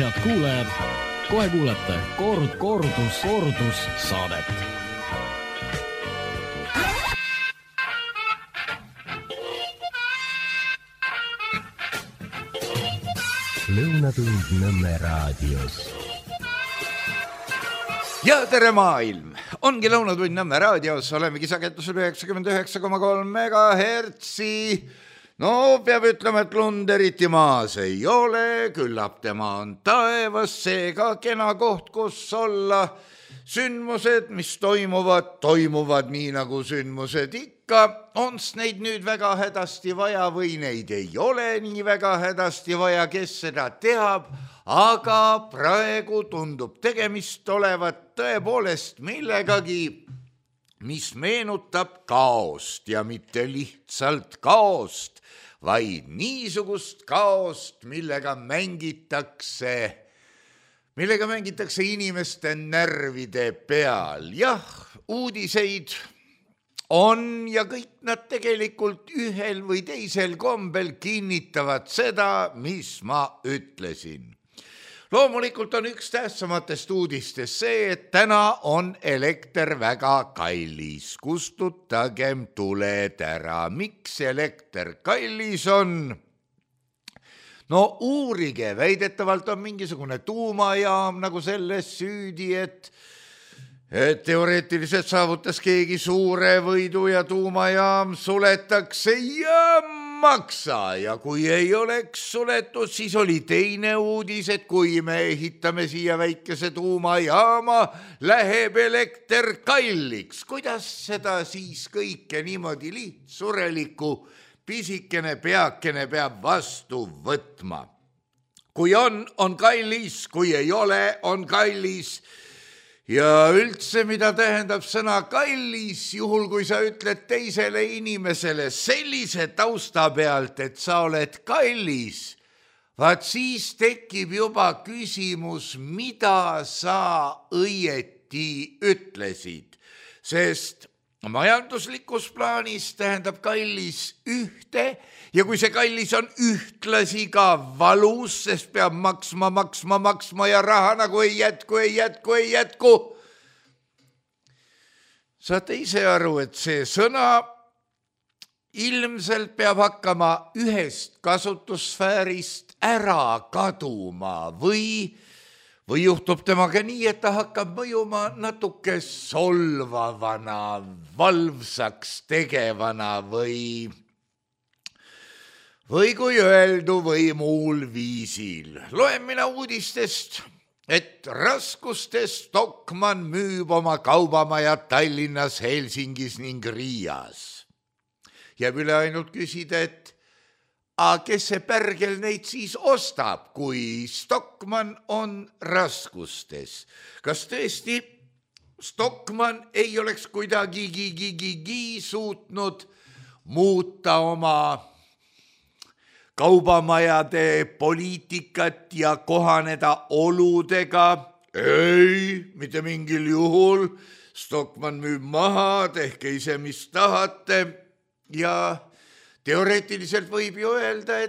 Head kuulajad, kohe kuulete kordus saadet. Lõunatund Nõmme raadios. Ja tere maailm! Ongi Lõunatund Nõmme raadios, olemegi sagedusel 99,3 megahertsi. No, peab ütlema, et lund eriti maas ei ole, küllap tema on taevas, seega kena koht, kus olla. Sündmused, mis toimuvad nii nagu sündmused ikka. Ons neid nüüd väga hädasti vaja või neid ei ole nii väga hädasti vaja, kes seda teab, aga praegu tundub tegemist olevat tõepoolest millegagi, mis meenutab kaost ja mitte lihtsalt kaost, vaid niisugust kaost, millega mängitakse inimeste närvide peal. Jah, uudiseid on ja kõik nad tegelikult ühel või teisel kombel kinnitavad seda, mis ma ütlesin. Loomulikult on üks tähtsamatest uudistest see, et täna on elekter väga kallis. Kustutagem tuled ära. Miks elekter kallis on? No uurige, väidetavalt on mingisugune tuumajaam nagu selles süüdi, et teoreetiliselt saavutas keegi suure võidu ja tuumajaam suletakse ja maksa. Ja kui ei oleks suletud, siis oli teine uudis, et kui me ehitame siia väikese tuumajaama, läheb elekter kalliks. Kuidas seda siis kõike niimoodi lihtsurelikku pisikene peakene peab vastu võtma? Kui on kallis, kui ei ole, on kallis. Ja üldse, mida tähendab sõna kallis, juhul kui sa ütled teisele inimesele sellise tausta pealt, et sa oled kallis, vaat siis tekib juba küsimus, mida sa õieti ütlesid, sest majanduslikus plaanis tähendab kallis ühte ja kui see kallis on ühtlasi ka valus, sest peab maksma ja raha nagu ei jätku. Saate ise aru, et see sõna ilmselt peab hakkama ühest kasutussfäärist ära kaduma või juhtub temaga nii, et ta hakkab mõjuma natuke solvavana, valvsaks tegevana või kui öeldu või muul viisil. Loen mina uudistest, et raskustes Stockmann müüb oma kaubamaja Tallinnas, Helsingis ning Riias. Jääb üle ainult küsida, et kes see pärgel neid siis ostab, kui Stockmann on raskustes? Kas tõesti Stockmann ei oleks kuidagi suutnud muuta oma kaubamajade poliitikat ja kohaneda oludega? Ei, mitte mingil juhul. Stockmann müüb maha, tehke ise mis tahate ja teoreetiliselt võib ju öelda,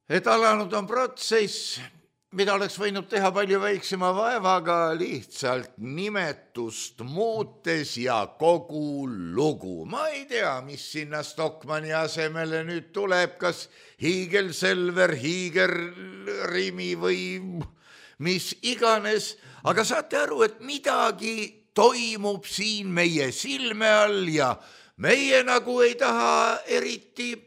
et alanud on protsess, mida oleks võinud teha palju väiksema vaevaga, lihtsalt nimetust muutes ja kogu lugu. Ma ei tea, mis sinna Stockmanni asemele nüüd tuleb, kas hiigelselver, hiigelrimi või mis iganes, aga saate aru, et midagi toimub siin meie silme all ja meie nagu ei taha eriti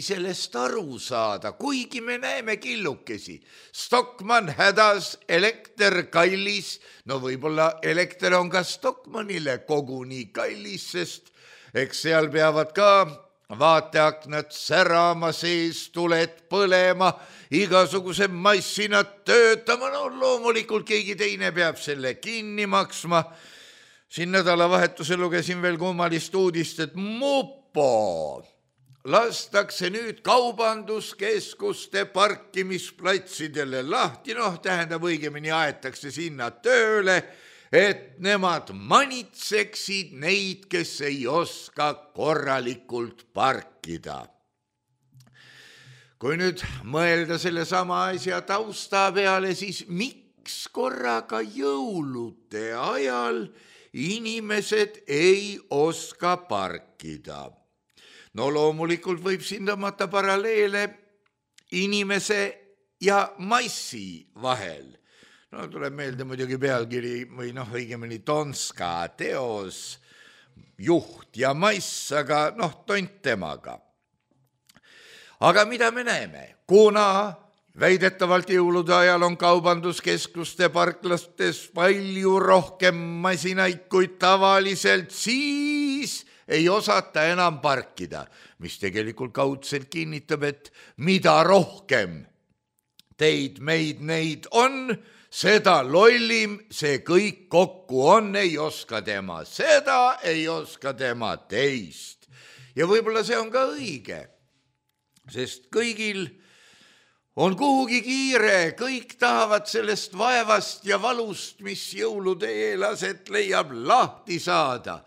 sellest aru saada, kuigi me näeme killukesi. Stockmann hädas, elekter kallis, no võib-olla elekter on ka Stockmannile koguni kallis, sest eks seal peavad ka vaateaknad särama, sees tuled põlema, igasugused massinad töötama, no loomulikult keegi teine peab selle kinni maksma. Siin nädalavahetusel lugesin veel kummalist uudist, et Mupo lastakse nüüd kaubanduskeskuste parkimisplatsidele lahti, tähendab õigemini aetakse sinna tööle, et nemad manitseksid neid, kes ei oska korralikult parkida. kui nüüd mõelda selle sama asja tausta peale, siis miks korraga jõulude ajal inimesed ei oska parkida? No loomulikult võib siin tõmmata paralleele inimese ja massi vahel. No tuleb meelde muidugi pealkiri või õigemini Tonska teos Juht ja mass, aga tont temaga. Aga mida me näeme? Kuna väidetavalt jõulude ajal on kaubanduskeskuste parklastes palju rohkem masinaid kui tavaliselt, siis ei osata enam parkida, mis tegelikult kaudselt kinnitab, et mida rohkem teid, meid, neid on, seda lollim see kõik kokku on, ei oska tema seda, ei oska tema teist. Ja võib-olla see on ka õige, sest kõigil on kuhugi kiire, kõik tahavad sellest vaevast ja valust, mis jõulude eel aset leiab, lahti saada.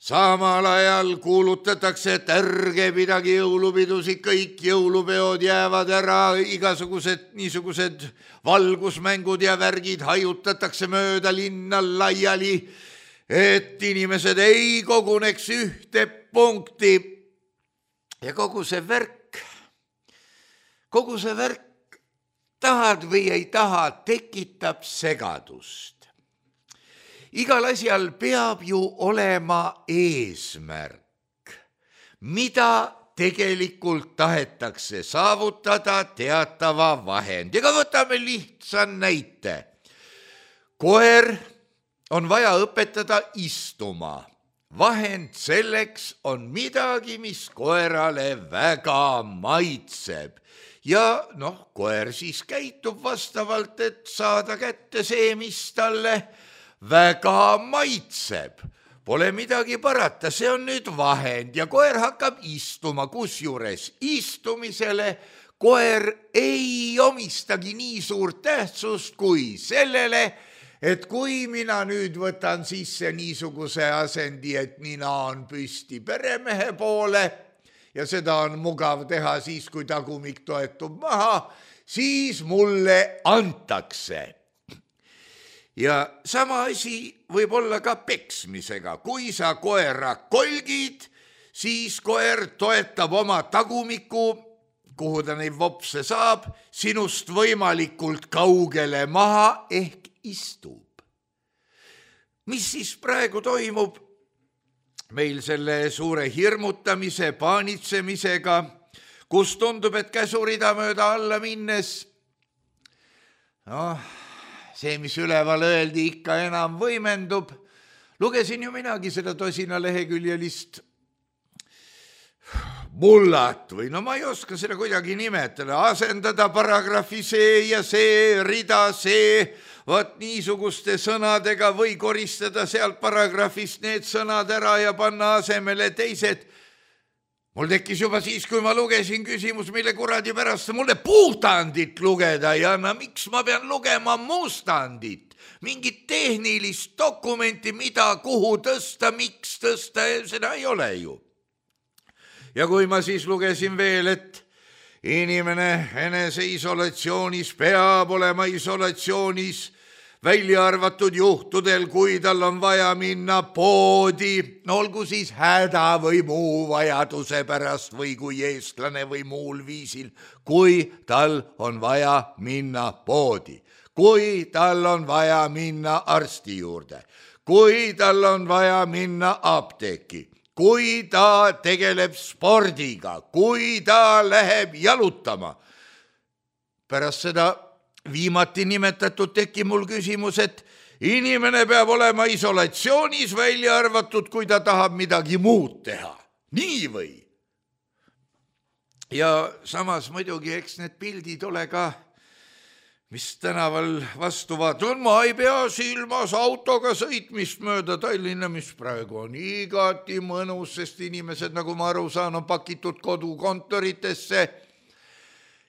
Samal ajal kuulutatakse, et ärge pidagi jõulupidusid, kõik jõulupeod jäävad ära, igasugused niisugused valgusmängud ja värgid hajutatakse mööda linna laiali, et inimesed ei koguneks ühte punkti. Ja kogu see värk, tahad või ei taha, tekitab segadust. Igal asjal peab ju olema eesmärk, mida tegelikult tahetakse saavutada teatava vahendiga. Võtame lihtsa näite. Koer on vaja õpetada istuma. Vahend selleks on midagi, mis koerale väga maitseb. Ja koer siis käitub vastavalt, et saada kätte see, mis talle väga maitseb. Pole midagi parata, see on nüüd vahend ja koer hakkab istuma, kusjuures istumisele koer ei omistagi nii suurt tähtsust kui sellele, et kui mina nüüd võtan sisse niisuguse asendi, et nina on püsti peremehe poole ja seda on mugav teha siis, kui tagumik toetub maha, siis mulle antakse. Ja sama asi võib olla ka peksmisega. Kui sa koera kolgid, siis koer toetab oma tagumiku, kuhu ta neid vopse saab, sinust võimalikult kaugele maha ehk istub. Mis siis praegu toimub meil selle suure hirmutamise, paanitsemisega, kus tundub, et käsurida mööda alla minnes, see, mis üleval öeldi, ikka enam võimendub. Lugesin ju minagi seda tosina leheküljelist mullat või ma ei oska seda kuidagi nimetada, asendada paragrahvi see ja see, rida see, vaat niisuguste sõnadega või koristada sealt paragrahvist need sõnad ära ja panna asemele teised. Mul tekkis juba siis, kui ma lugesin küsimus, mille kuradi pärast mulle puhtandit lugeda ja miks ma pean lugema mustandit, mingit tehnilist dokumenti, mida, kuhu tõsta, miks tõsta, seda ei ole ju. Ja kui ma siis lugesin veel, et inimene eneseisolatsioonis peab olema isolatsioonis, välja arvatud juhtudel, kui tal on vaja minna poodi, olgu siis häda või muu vajaduse pärast või kui eestlane või muul viisil, kui tal on vaja minna poodi, kui tal on vaja minna arsti juurde, kui tal on vaja minna apteeki, kui ta tegeleb spordiga, kui ta läheb jalutama. Pärast seda viimati nimetatud tekib mul küsimus, et inimene peab olema isolatsioonis, välja arvatud, kui ta tahab midagi muud teha. Nii või? Ja samas muidugi, eks need pildid ole ka, mis tänaval vastu vaatavad. Ma ei pea silmas autoga sõitmist mööda Tallinna, mis praegu on igati mõnus, sest inimesed, nagu ma aru saan, on pakitud kodukontoritesse.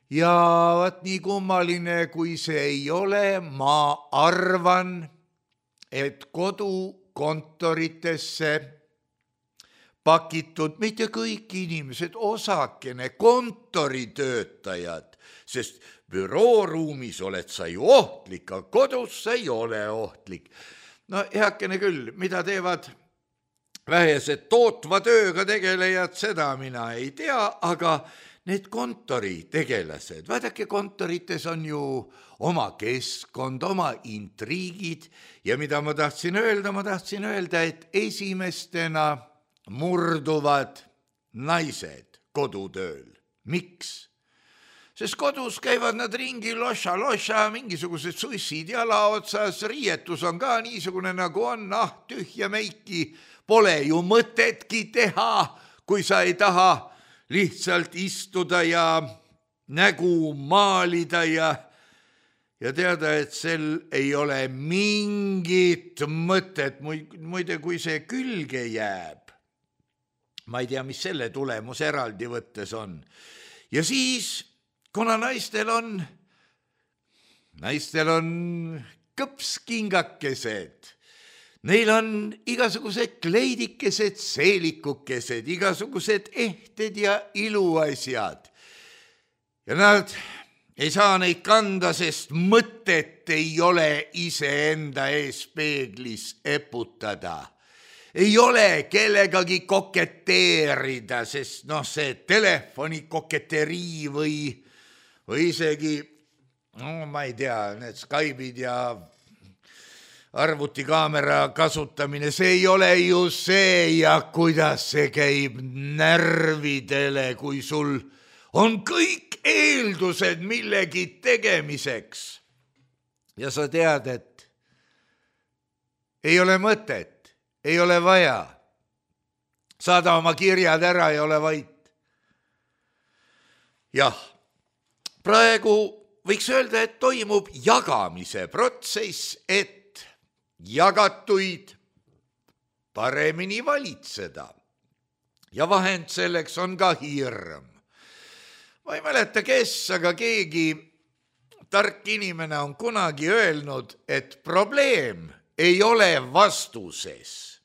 Ja vaat nii kummaline, kui see ei ole, ma arvan, et kodukontoritesse pakitud, mitte kõik inimesed, osakene kontoritöötajad, sest bürooruumis oled sa ju ohtlik, aga kodus sa ei ole ohtlik. No heakene küll, mida teevad vähesed tootva tööga tegelejad, seda mina ei tea, aga need kontoritegelased, vaadake, kontorites on ju oma keskkond, oma intriigid ja mida ma tahtsin öelda, et esimestena murduvad naised kodutööl. Miks? Sest kodus käivad nad ringi loša, mingisugused sussid jala otsas, riietus on ka niisugune nagu on, tühja meiki, pole ju mõtetki teha, kui sa ei taha lihtsalt istuda ja nägu maalida ja teada, et sel ei ole mingit mõtet. Muide, kui see külge jääb, ma ei tea, mis selle tulemus eraldi võttes on. Ja siis, kuna naistel on kõpskingakesed, neil on igasugused kleidikesed, seelikukesed, igasugused ehted ja iluasjad. Ja nad ei saa neid kanda, sest mõtet ei ole iseenda ees peeglis eputada. Ei ole kellegagi koketeerida, sest see telefoni koketerii või isegi, ma ei tea, need Skype'id ja arvutikaamera kasutamine, see ei ole ju see ja kuidas see käib närvidele, kui sul on kõik eeldused millegi tegemiseks. Ja sa tead, et ei ole mõtet, ei ole vaja. Saada oma kirjad ära ja ole vait. Jah, praegu võiks öelda, et toimub jagamise protsess, et jagatuid paremini valitseda. Ja vahend selleks on ka hirm. Ma ei mäleta, kes, aga keegi tark inimene on kunagi öelnud, et probleem ei ole vastuses.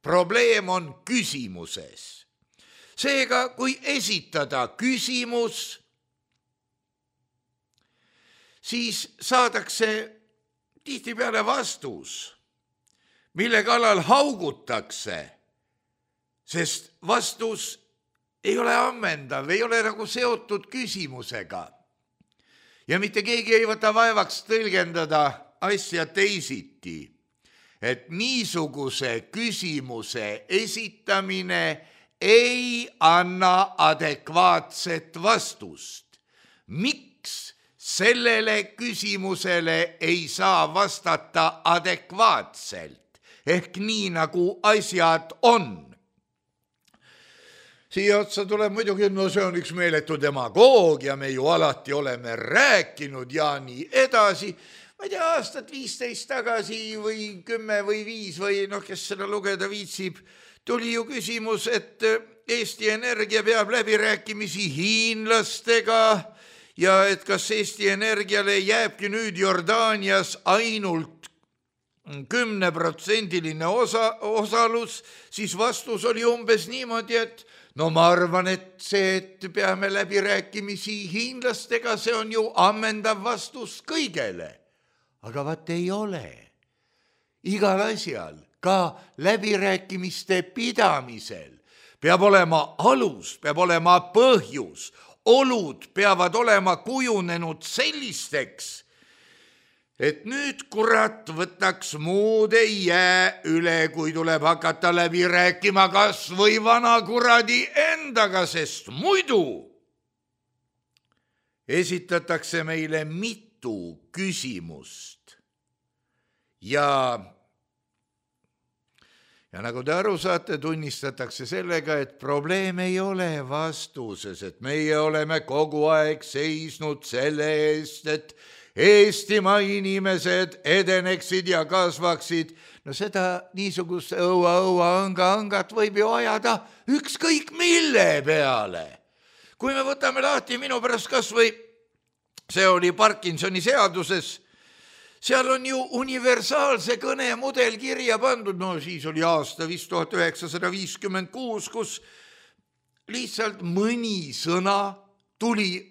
Probleem on küsimuses. Seega, kui esitada küsimus, siis saadakse tihtipeale vastus, mille kallal haugutakse, sest vastus ei ole ammendav, ei ole nagu seotud küsimusega. Ja mitte keegi ei võta vaevaks tõlgendada asja teisiti, et niisuguse küsimuse esitamine ei anna adekvaatset vastust. Miks sellele küsimusele ei saa vastata adekvaatselt, ehk nii nagu asjad on? Siia otsa tuleb muidugi, see on üks meeletu demagoogia, me ju alati oleme rääkinud ja nii edasi. Ma ei tea, aastat 15 tagasi või 10 või 5 või kes seda lugeda viitsib, tuli ju küsimus, et Eesti Energia peab läbirääkimisi hiinlastega ja et kas Eesti Energiale jääbki nüüd Jordaanias ainult 10% osalus, siis vastus oli umbes niimoodi, et ma arvan, et see, et peame läbirääkimisi hiinlastega, see on ju ammendav vastus kõigele. Aga vaat ei ole. Igal asjal, ka läbirääkimiste pidamisel, peab olema alus, peab olema põhjus, olud peavad olema kujunenud sellisteks, et nüüd kurat võtaks muud ei jää üle, kui tuleb hakata läbi rääkima kas või vana kuradi endaga, sest muidu esitatakse meile mitu küsimust. Ja nagu te aru saate, tunnistatakse sellega, et probleem ei ole vastuses, et meie oleme kogu aeg seisnud selle eest, et Eestimaa inimesed edeneksid ja kasvaksid. Seda niisugust õua-õua-õnga-õngat võib ju ajada ükskõik mille peale. Kui me võtame lahti minu pärast kas või, see oli Parkinsoni seaduses, seal on ju universaalse kõne mudel kirja pandud, no siis oli aasta vist 1956, kus lihtsalt mõni sõna tuli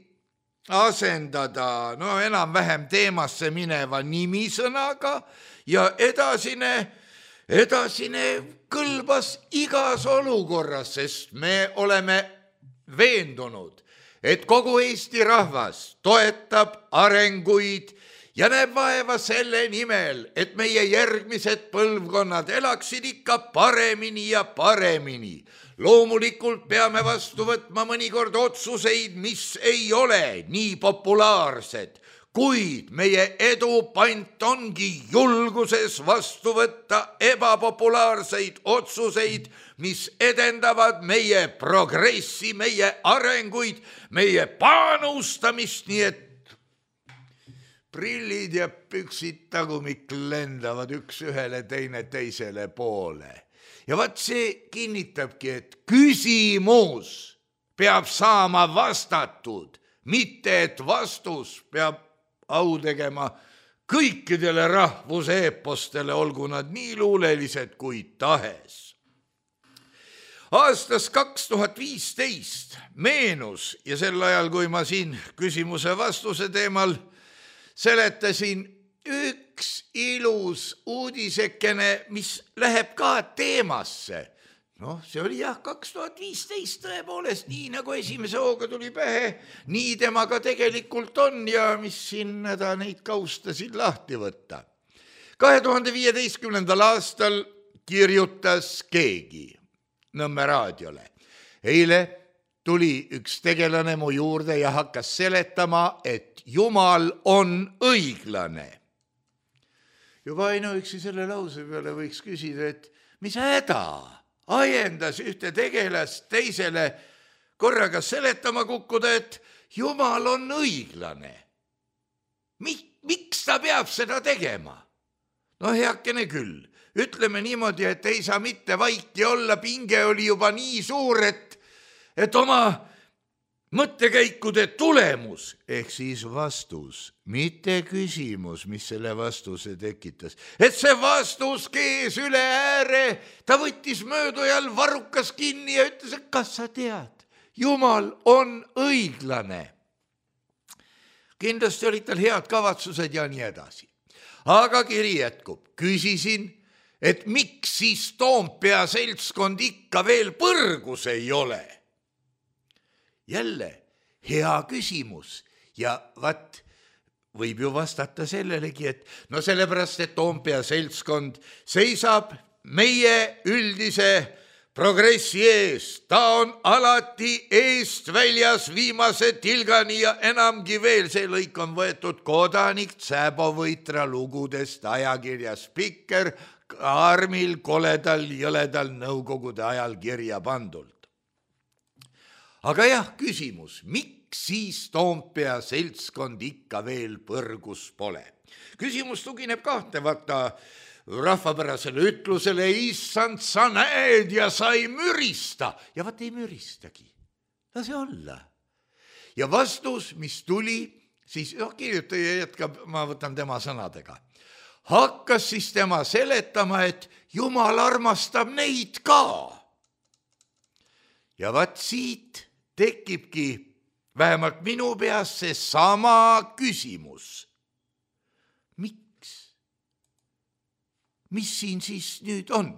asendada enam-vähem teemasse mineva nimisõnaga ja edasine kõlbas igas olukorras, sest me oleme veendunud, et kogu Eesti rahvas toetab arenguid ja näeb vaeva selle nimel, et meie järgmised põlvkonnad elaksid ikka paremini ja paremini. Loomulikult peame vastu võtma mõnikord otsuseid, mis ei ole nii populaarsed, kuid meie edu pant ongi julguses vastu võtta ebapopulaarseid otsuseid, mis edendavad meie progressi, meie arenguid, meie panustamist, nii et prillid ja püksid tagumik lendavad üks ühele, teine teisele poole. Ja vaat see kinnitabki, et küsimus peab saama vastatud, mitte et vastus peab au tegema kõikidele rahvuse eepostele, olgu nad nii luulelised kui tahes. Aastas 2015 meenus ja sel ajal, kui ma siin küsimuse vastuse teemal seletasin, üks ilus uudisekene, mis läheb ka teemasse. See oli 2015 tõepoolest, nii nagu esimese hooga tuli pähe, nii temaga tegelikult on ja mis siin neid kaustasid lahti võtta. 2015. aastal kirjutas keegi Nõmme raadiole. Eile tuli üks tegelane mu juurde ja hakkas seletama, et Jumal on õiglane. Juba ainuüksi selle lause peale võiks küsida, et mis häda ajendas ühte tegelast teisele korraga seletama kukkuda, et Jumal on õiglane. Miks ta peab seda tegema? Heakene küll. Ütleme niimoodi, et ei saa mitte vaiki olla, pinge oli juba nii suur, et oma mõttekäikude tulemus, ehk siis vastus, mitte küsimus, mis selle vastuse tekitas, et see vastus kees üle ääre, ta võttis möödujal varrukas kinni ja ütles, et kas sa tead, Jumal on õiglane. Kindlasti olid tal head kavatsused ja nii edasi. Aga kiri jätkub, küsisin, et miks siis Toompea seltskond ikka veel põrgus ei ole? Jälle hea küsimus ja võib ju vastata sellelegi, et sellepärast, et Toompea seltskond seisab meie üldise progressi eest. Ta on alati eest väljas viimase tilgani ja enamgi veel. See lõik on võetud Kodanik Tsääbovõitra lugudest ajakirja Spikker armil koledal jõledal nõukogude ajal kirja pandult. Aga jah, küsimus, miks siis Toompea seltskond ikka veel põrgus pole? Küsimus tugineb kahtlemata rahvapärasele ütlusele, issand, sa näed ja sa ei mürista. Ja vaat ei müristagi, lase olla. Ja vastus, mis tuli, siis kirjutaja jätkab, ma võtan tema sõnadega. Hakkas siis tema seletama, et Jumal armastab neid ka. Ja vaat siit tekibki vähemalt minu peas see sama küsimus. Miks? Mis siin siis nüüd on?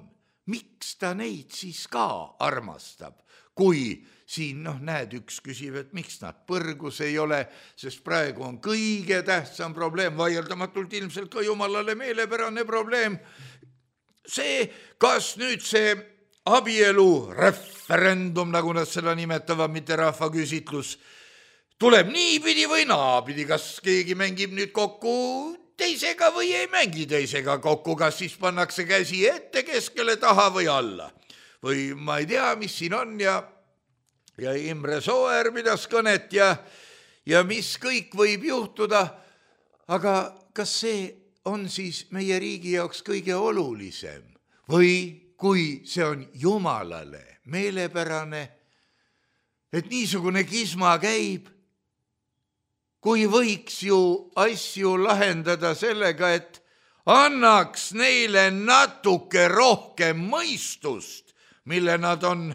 Miks ta neid siis ka armastab? Kui siin, näed, üks küsib, et miks nad põrgus ei ole, sest praegu on kõige tähtsam probleem, vaieldamatult ilmselt ka Jumalale meelepärane probleem. See, kas nüüd see abielu referendum, nagu nad seda nimetavad, mitte rahvaküsitlus, tuleb niipidi või naapidi, kas keegi mängib nüüd kokku teisega või ei mängi teisega kokku, kas siis pannakse käsi ette, keskele, taha või alla. Või ma ei tea, mis siin on ja Imre Sooäär pidas kõnet ja mis kõik võib juhtuda, aga kas see on siis meie riigi jaoks kõige olulisem või kui see on Jumalale meelepärane, et niisugune kisma käib, kui võiks ju asju lahendada sellega, et annaks neile natuke rohkem mõistust, mille nad on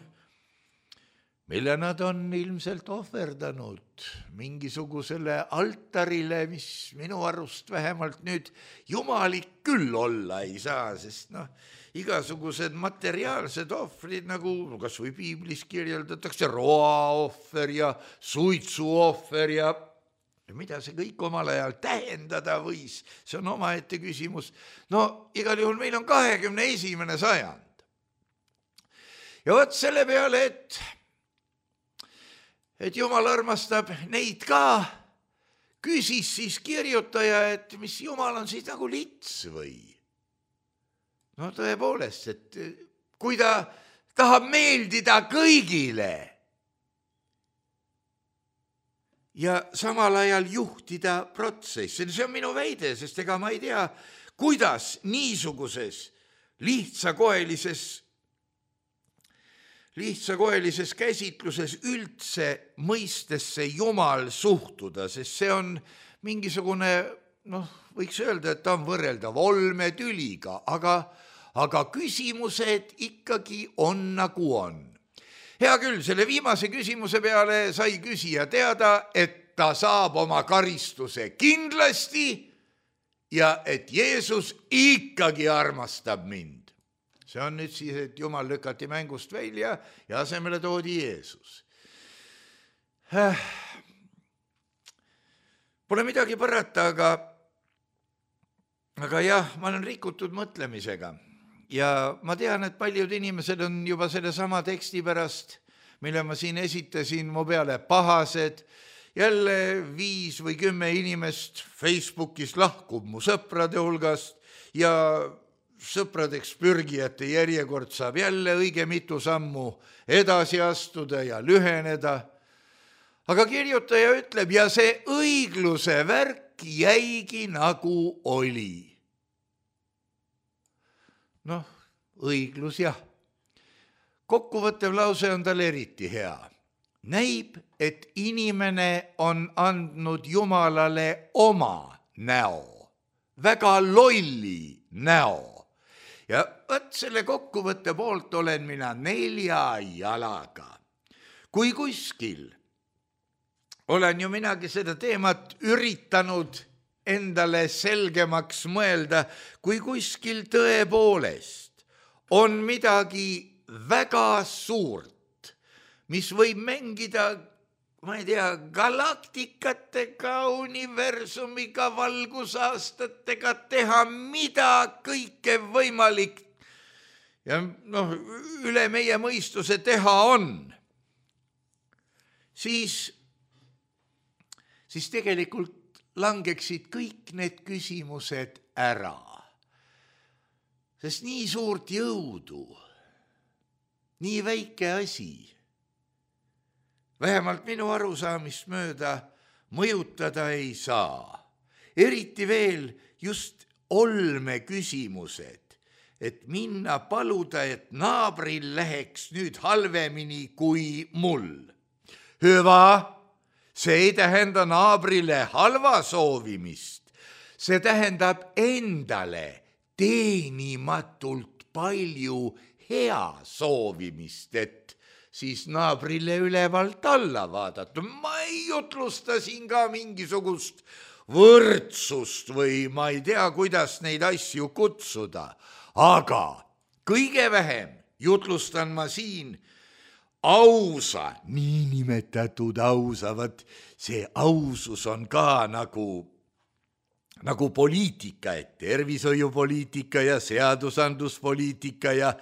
ilmselt ohverdanud mingisugusele altarile, mis minu arust vähemalt nüüd jumalik küll olla ei saa, sest igasugused materiaalsed ohvrid, nagu kas või piiblis kirjeldatakse, roaohver ja suitsuohver ja mida see kõik omal ajal tähendada võis, see on omaette küsimus. Igal juhul meil on 21. sajand. Ja vot selle peale, et Jumal armastab neid ka, küsis siis kirjutaja, et mis Jumal on siis nagu lits või? Tõepoolest, et kui ta tahab meeldida kõigile ja samal ajal juhtida protsessi, see on minu väide, sest ega ma ei tea, kuidas niisuguses lihtsakoelises käsitluses üldse mõistesse Jumal suhtuda, sest see on mingisugune, võiks öelda, et ta on võrreldav olmetüliga, aga küsimused ikkagi on nagu on. Hea küll, selle viimase küsimuse peale sai küsija teada, et ta saab oma karistuse kindlasti ja et Jeesus ikkagi armastab mind. See on nüüd siis, et Jumal lükati mängust välja ja asemele toodi Jeesus. Pole midagi parata, aga jah, ma olen rikutud mõtlemisega ja ma tean, et paljud inimesed on juba selle sama teksti pärast, mille ma siin esitasin, mu peale pahased. Jälle 5 või 10 inimest Facebookis lahkub mu sõprade hulgast ja sõpradeks pürgijate järjekord saab jälle õige mitu sammu edasi astuda ja lüheneda. Aga kirjutaja ütleb, ja see õigluse värk jäigi nagu oli. Õiglus jah. Kokkuvõttev lause on tal eriti hea. Näib, et inimene on andnud Jumalale oma näo, väga lolli näo. Ja võt selle kokkuvõtte poolt olen mina 4 jalaga. Kui kuskil olen ju minagi seda teemat üritanud endale selgemaks mõelda, kui kuskil tõepoolest on midagi väga suurt, mis võib mängida, ma ei tea, galaktikatega, universumiga, valgusaastatega, teha mida kõike võimalik ja üle meie mõistuse teha on, siis tegelikult langeksid kõik need küsimused ära. Sest nii suurt jõudu, nii väike asi, vähemalt minu arusaamist mööda mõjutada ei saa. Eriti veel just olmeküsimused, et minna paluda, et naabril läheks nüüd halvemini kui mul. Hüva, see ei tähenda naabrile halva soovimist, see tähendab endale teenimatult palju hea soovimist, et siis naabrile ülevalt alla vaadata. Ma ei jutlusta siin ka mingisugust võrdsust või ma ei tea, kuidas neid asju kutsuda, aga kõige vähem jutlustan ma siin ausa, niinimetatud ausa, see ausus on ka nagu poliitika, et tervishoiupoliitika ja seadusandluspoliitika ja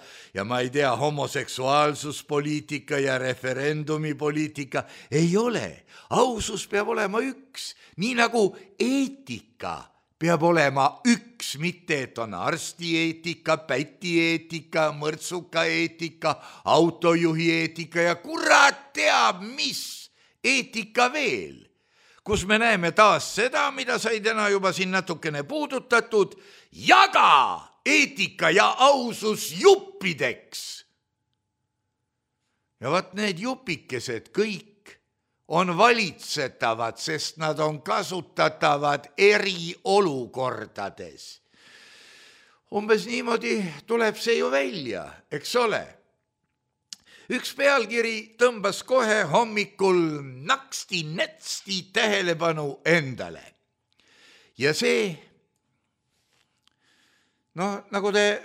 ma ei tea, homoseksuaalsuspoliitika ja referendumipoliitika ei ole. Ausus peab olema üks, nii nagu eetika peab olema üks, mitte et on arstieetika, pätieetika, mõrtsuka eetika, autojuhi eetika ja kurat teab, mis eetika veel. Kus me näeme taas seda, mida sai täna juba siin natukene puudutatud, jaga eetika ja ausus juppideks. Ja vaat need jupikesed kõik on valitsetavad, sest nad on kasutatavad eriolukordades. Umbes niimoodi tuleb see ju välja, eks ole. Üks pealkiri tõmbas kohe hommikul naksti-netsti tähelepanu endale. Ja see, nagu te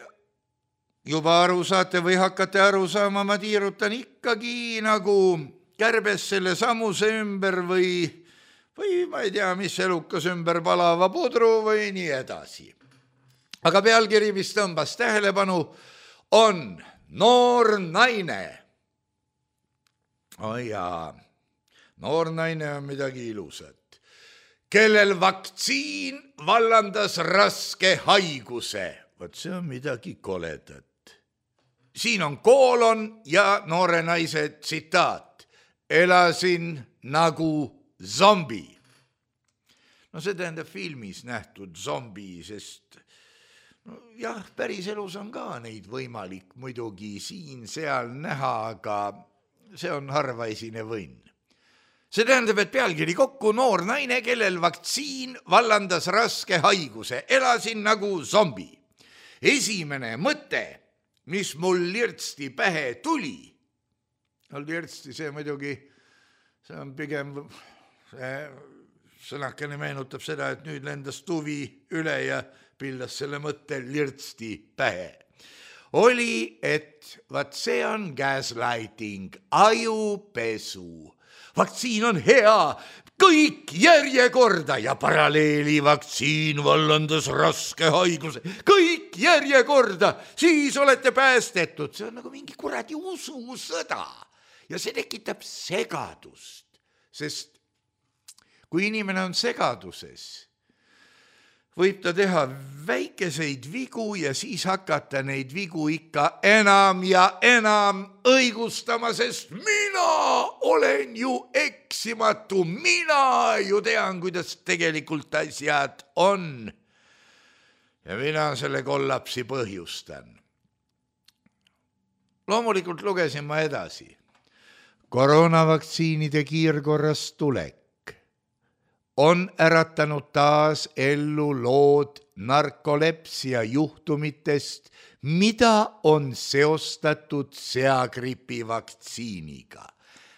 juba aru saate või hakkate aru saama, ma tiirutan ikkagi nagu kärbes selle samuse ümber või ma ei tea, mis elukas ümber palava pudru või nii edasi. Aga pealkiri, mis tõmbas tähelepanu, on noor naine. Jaa, noor naine on midagi ilusat, kellel vaktsiin vallandas raske haiguse. Vot see on midagi koledat. Siin on koolon ja noore naise tsitaat. Elasin nagu zombi. See tähendab filmis nähtud zombi, sest jah, päris elus on ka neid võimalik muidugi siin-seal näha, aga see on harvaisine võnn. See tähendab, et pealkiri kokku noor naine, kellel vaktsiin vallandas raske haiguse. Elasin nagu zombi. Esimene mõte, mis mul lirtsti pähe tuli, lirtsti see muidugi, see on pigem, sõnakene meenutab seda, et nüüd lendas tuvi üle ja pildas selle mõtte lirtsti pähe. Oli, et vaat see on gaslighting, ajupesu. Vaktsiin on hea, kõik järjekorda ja paralleeli vaktsiin vallandas raske haiguse. Kõik järjekorda, siis olete päästetud. See on nagu mingi kuradi ususõda ja see tekitab segadust, sest kui inimene on segaduses, võib ta teha väikeseid vigu ja siis hakata neid vigu ikka enam ja enam õigustama, sest mina olen ju eksimatu, mina ju tean, kuidas tegelikult asjad on. Ja mina selle kollapsi põhjustan. Loomulikult lugesin ma edasi. Koroonavaktsiinide kiirkorras tulek on äratanud taas ellu lood narkolepsia juhtumitest, mida on seostatud seagripi vaktsiiniga.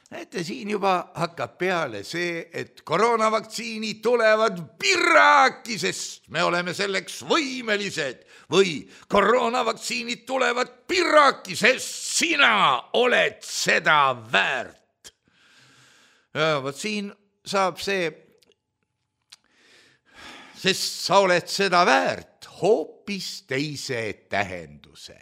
Näete, siin juba hakkab peale see, et koroonavaktsiinid tulevad piraki, sest me oleme selleks võimelised, või koroonavaktsiinid tulevad piraki, sest sina oled seda väärt. Ja vot siin saab see, sest sa oled seda väärt, hoopis teise tähenduse.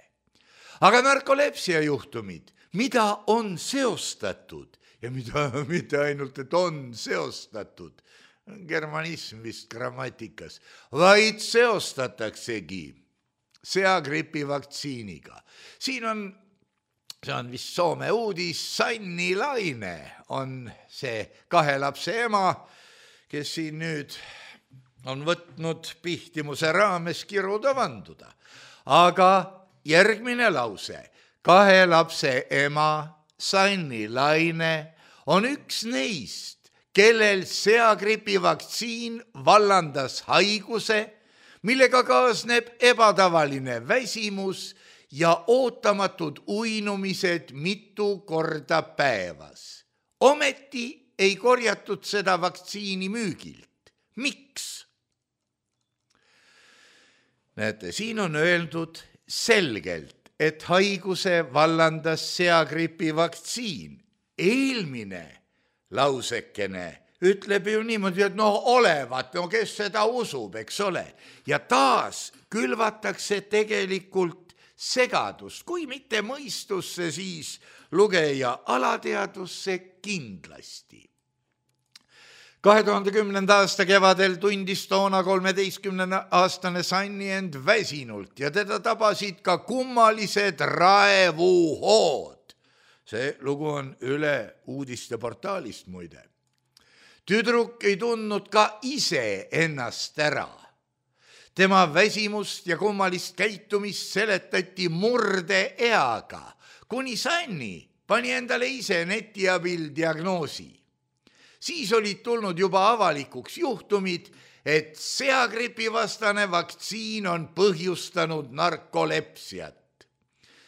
Aga narkolepsia juhtumid, mida on seostatud ja mida mitte ainult, et on seostatud, germanism vist grammatikas, vaid seostataksegi seagripi vaktsiiniga. Siin on, see on vist Soome uudis, Sanni Laine on see 2 lapse ema, kes siin nüüd on võtnud pihtimuse raames kiruda vanduda. Aga järgmine lause, 2 lapse ema, Sanni Laine, on üks neist, kellel seagripi vaktsiin vallandas haiguse, millega kaasneb ebatavaline väsimus ja ootamatud uinumised mitu korda päevas. Ometi ei korjatud seda vaktsiini müügilt. Miks? Näete, siin on öeldud selgelt, et haiguse vallandas seagripi vaktsiin. Eelmine lausekene ütleb ju niimoodi, et olevat, kes seda usub, eks ole. Ja taas külvatakse tegelikult segadust, kui mitte mõistusse, siis lugeja alateadusse kindlasti. 2010. aasta kevadel tundis toona 13-aastane Sanni end väsinult ja teda tabasid ka kummalised raevuhood. See lugu on üle uudisteportaalist muide. Tüdruk ei tundnud ka ise ennast ära. Tema väsimust ja kummalist käitumist seletati murdeeaga, kuni Sanni pani endale ise neti abil diagnoosi. Siis olid tulnud juba avalikuks juhtumid, et seagripivastane vaktsiin on põhjustanud narkolepsiat.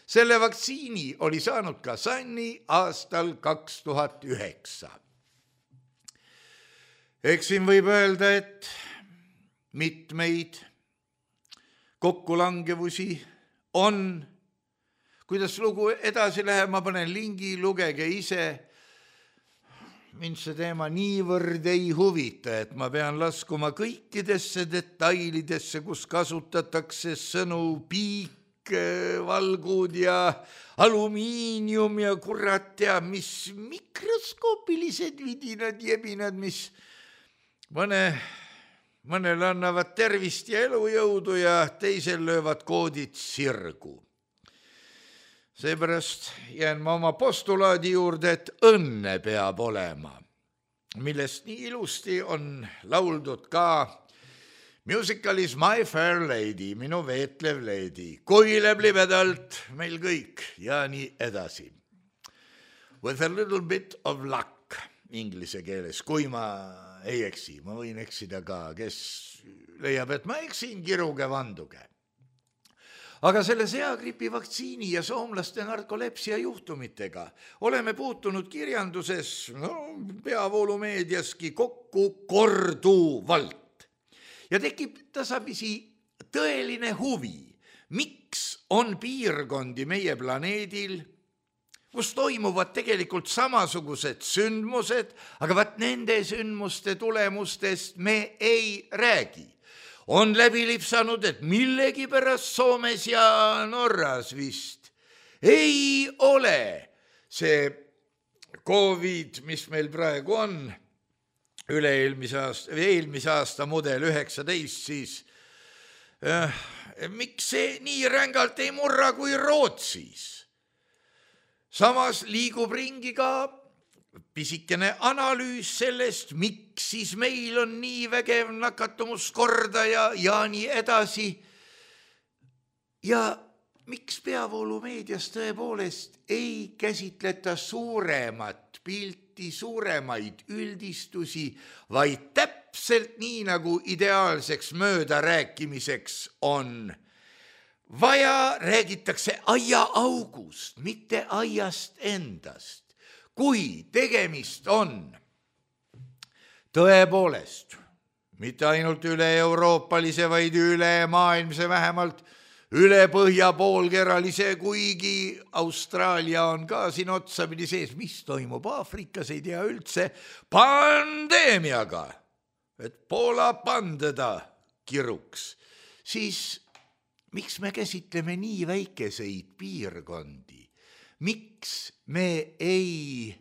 Selle vaktsiini oli saanud ka Sanni aastal 2009. Eks siin võib öelda, et mitmeid kokkulangevusi on. Kuidas lugu edasi läheb, ma panen lingi, lugege ise. Mind see teema niivõrd ei huvita, et ma pean laskuma kõikidesse detailidesse, kus kasutatakse sõnu piik, valgud ja alumiinium ja kurat teab, mis mikroskoopilised vidinad, jebinad, mis mõnele annavad tervist ja elujõudu ja teisel löövad koodid sirgu. Seepärast jään ma oma postulaadi juurde, et õnne peab olema, millest nii ilusti on lauldud ka musicalis My Fair Lady, minu veetlev lady, koileb libedalt meil kõik ja nii edasi. With a little bit of luck inglise keeles, kui ma ei eksi, ma võin eksida ka, kes leiab, et ma eksin, kiruge vanduge. Aga selle seagripi vaktsiini ja soomlaste narkolepsia juhtumitega oleme puutunud kirjanduses, peavoolumeediaski kokku korduvalt. Ja tekib tasapisi tõeline huvi, miks on piirkondi meie planeedil, kus toimuvad tegelikult samasugused sündmused, aga vaat nende sündmuste tulemustest me ei räägi. On läbi lipsanud, et millegi pärast Soomes ja Norras vist ei ole see COVID, mis meil praegu on, eelmise aasta mudel 19, siis miks see nii rängalt ei murra kui Rootsis? Samas liigub ringi ka pisikene analüüs sellest, miks siis meil on nii vägev nakatumuskordaja ja nii edasi. Ja miks peavoolumeedias tõepoolest ei käsitleta suuremat pilti, suuremaid üldistusi, vaid täpselt nii, nagu ideaalseks möödarääkimiseks on vaja, räägitakse aiaaugust, mitte aiast endast. Kui tegemist on tõepoolest mitte ainult üle-euroopalise, vaid üle-maailmse, vähemalt üle põhjapoolkeralise, kuigi Austraalia on ka siin otsapidi sees, mis toimub Aafrikas, ei tea üldse, pandeemiaga, et Poola pandeda kiruks, siis miks me käsitleme nii väikeseid piirkondi? Miks me ei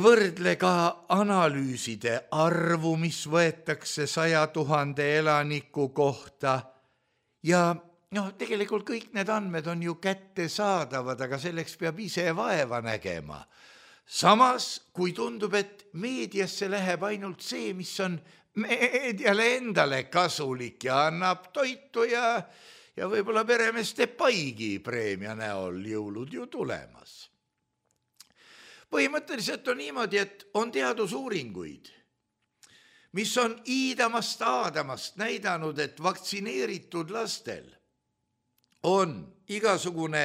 võrdle ka analüüside arvu, mis võetakse 100 000 elaniku kohta ja tegelikult kõik need andmed on ju kättesaadavad, aga selleks peab ise vaeva nägema. Samas, kui tundub, et meediasse läheb ainult see, mis on meediale endale kasulik ja annab toitu ja võib-olla peremeeste paigi preemia näol jõulud ju tulemas. Põhimõtteliselt on niimoodi, et on teadusuuringuid, mis on iidamast aadamast näidanud, et vaktsineeritud lastel on igasugune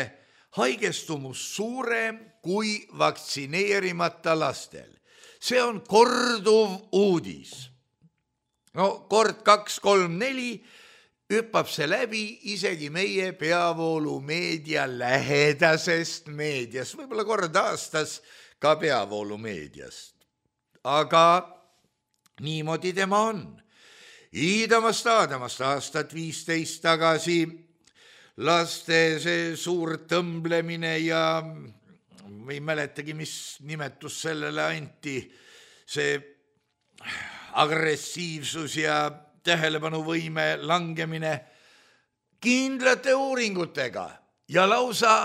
haigestumus suurem kui vaktsineerimata lastel. See on korduv uudis. Kord 2, 3, 4 hüppab see läbi isegi meie peavoolumeedia lähedasest meediast, võib-olla kord aastas ka peavoolumeediast. Aga niimoodi tema on. Iidamast aadamast aastat 15 tagasi laste see suur tõmblemine ja ei mäletagi, mis nimetus sellele anti, see agressiivsus ja tähelepanuvõime langemine kindlate uuringutega ja lausa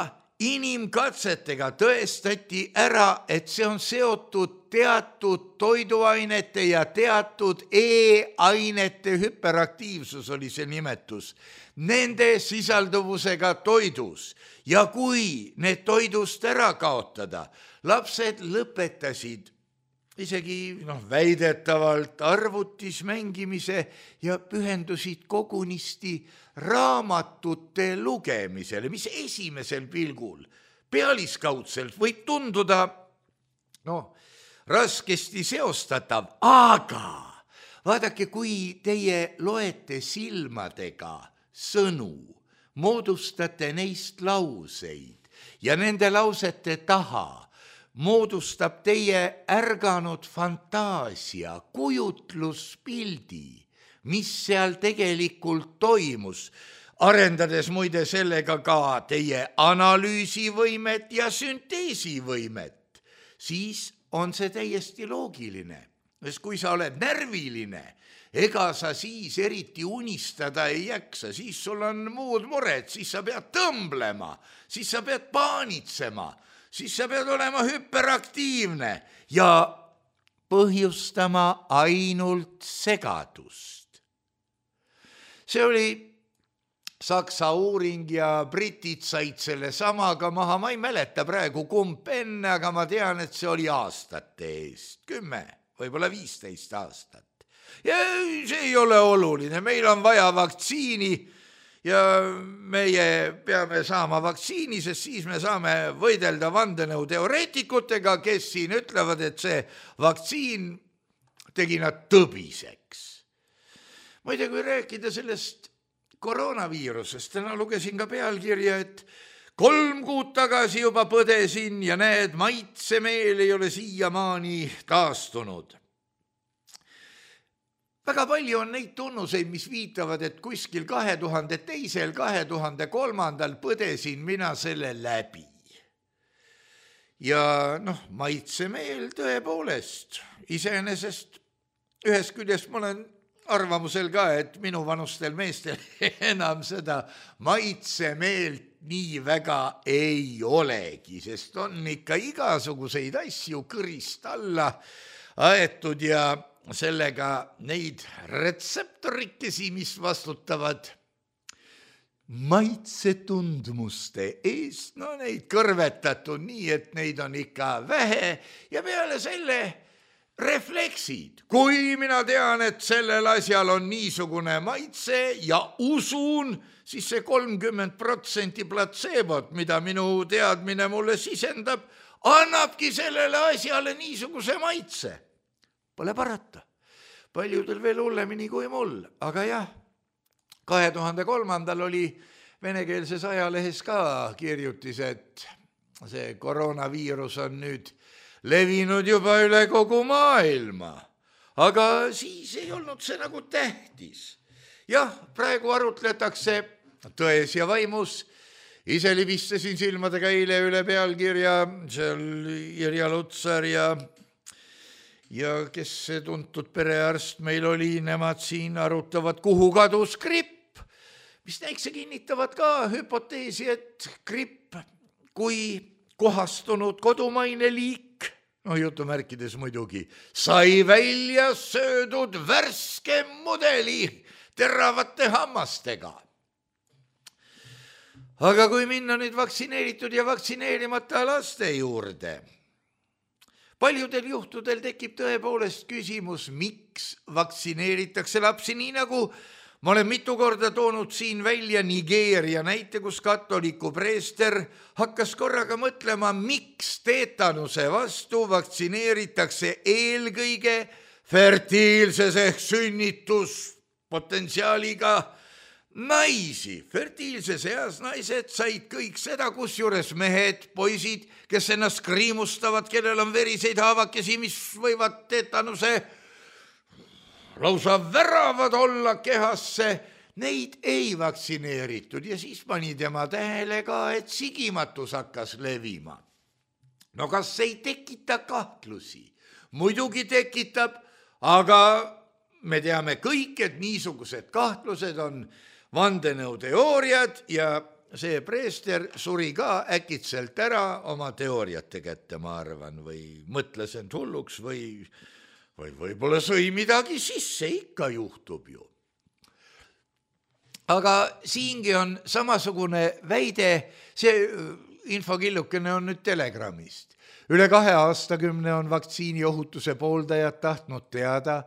inimkatsetega tõestati ära, et see on seotud teatud toiduainete ja teatud E-ainete hüperaktiivsus oli see nimetus, nende sisalduvusega toidus. Ja kui need toidust ära kaotada, lapsed lõpetasid isegi väidetavalt arvutis mängimise ja pühendusid kogunisti raamatute lugemisele, mis esimesel pilgul pealiskaudselt võib tunduda raskesti seostatav, aga vaadake, kui teie loete silmadega sõnu, moodustate neist lauseid ja nende lausete taha moodustab teie ärganud fantaasia, kujutluspildi, mis seal tegelikult toimus, arendades muide sellega ka teie analüüsivõimet ja sünteesivõimet, siis on see täiesti loogiline. Sest kui sa oled närviline, ega sa siis eriti unistada ei jaksa, siis sul on muud mured, siis sa pead tõmblema, siis sa pead paanitsema, siis sa pead olema hüperaktiivne ja põhjustama ainult segadust. See oli Saksa uuring ja britid said selle samaga maha, ma ei mäleta praegu kumb enne, aga ma tean, et see oli aastate eest, 10, võib-olla 15 aastat. Ja see ei ole oluline, meil on vaja vaktsiini ja meie peame saama vaktsiini, sest siis me saame võidelda vandenõuteoreetikutega, kes siin ütlevad, et see vaktsiin tegi nad tõbiseks. Muide, kui rääkida sellest koroonaviirusest, täna lugesin ka pealkirja, et 3 kuud tagasi juba põdesin ja näed, maitsemeel ei ole siiamaani taastunud. Väga palju on neid tunnuseid, mis viitavad, et kuskil 2002., 2003. põdesin mina selle läbi. Ja maitsemeel tõepoolest, iseenesest ühest küljest ma olen arvamusel ka, et minu vanustel meestel enam seda maitsemeelt nii väga ei olegi, sest on ikka igasuguseid asju kõrist alla aetud ja sellega neid retseptorikesi, mis vastutavad maitsetundmuste eest, neid kõrvetatud nii, et neid on ikka vähe ja peale selle refleksid. Kui mina tean, et sellel asjal on niisugune maitse ja usun, siis see 30% platseebot, mida minu teadmine mulle sisendab, annabki sellele asjale niisuguse maitse. Pole parata. Paljudel veel hullemini kui mul, aga jah, 2003. oli venekeelses ajalehes ka kirjutis, et see koroonaviirus on nüüd levinud juba üle kogu maailma, aga siis ei olnud see nagu tähtis. Jah, praegu arutletakse tões ja vaimus, ise libistasin silmadega eile üle pealkirja, seal Irja Lutsar ja kes see tuntud perearst meil oli, nemad siin arutavad, kuhu kadus gripp, mis näikse kinnitavad ka hüpoteesi, et gripp kui kohastunud kodumaine liik, jutumärkides muidugi, sai välja söödud värske mudeli teravate hammastega. Aga kui minna nüüd vaktsineeritud ja vaktsineerimata laste juurde, paljudel juhtudel tekib tõepoolest küsimus, miks vaktsineeritakse lapsi, nii nagu ma olen mitu korda toonud siin välja Nigeeria näite, kus katoliku preester hakkas korraga mõtlema, miks teetanuse vastu vaktsineeritakse eelkõige fertiilses ehk sünnituspotentsiaaliga naisi. Fertiilses eas naised said kõik seda, kusjuures mehed, poisid, kes ennast kriimustavad, kellel on veriseid haavakesi, mis võivad teetanuse lausa väravad olla kehasse, neid ei vaktsineeritud ja siis pani tema tähele ka, et sigimatus hakkas levima. No kas ei tekita kahtlusi? Muidugi tekitab, aga me teame kõik, et niisugused kahtlused on vandenõuteooriad ja see preester suri ka äkitselt ära oma teooriate kätte, ma arvan, või mõtles end hulluks või võib-olla sõi midagi sisse, ikka juhtub ju. Aga siingi on samasugune väide, see infokillukene on nüüd Telegramist. Üle 2 aastakümne on vaktsiini ohutuse pooldajad tahtnud teada,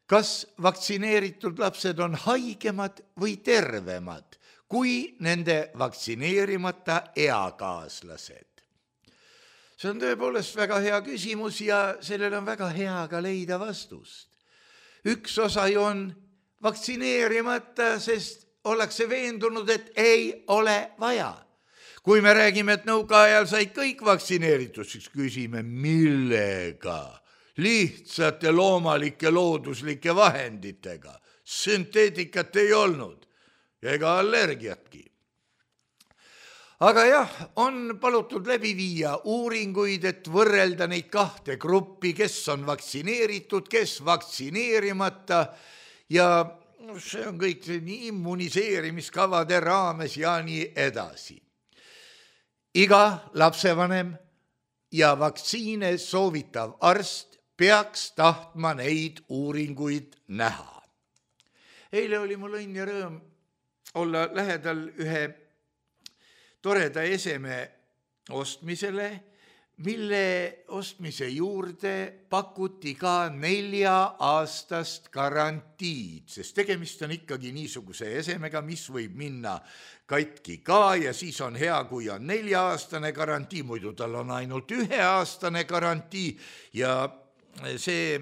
kas vaktsineeritud lapsed on haigemad või tervemad kui nende vaktsineerimata eakaaslased. See on tõepoolest väga hea küsimus ja sellel on väga hea ka leida vastust. Üks osa ju on vaktsineerimata, sest ollakse veendunud, et ei ole vaja. Kui me räägime, et nõukaajal said kõik vaktsineeritud, siis küsime, millega? Lihtsate loomalike looduslike vahenditega. Sünteetikat ei olnud ja ega allergiatki. Aga jah, on palutud läbi viia uuringuid, et võrrelda neid 2 gruppi, kes on vaktsineeritud, kes vaktsineerimata ja see on kõik nii immuniseerimiskavade raames ja nii edasi. Iga lapsevanem ja vaktsiine soovitav arst peaks tahtma neid uuringuid näha. Eile oli mul õnn ja rõõm olla lähedal ühe toreda eseme ostmisele, mille ostmise juurde pakuti ka 4-aastast garantiid, sest tegemist on ikkagi niisuguse esemega, mis võib minna katki ka ja siis on hea, kui on 4-aastane garantii, muidu tal on ainult 1-aastane garantii ja see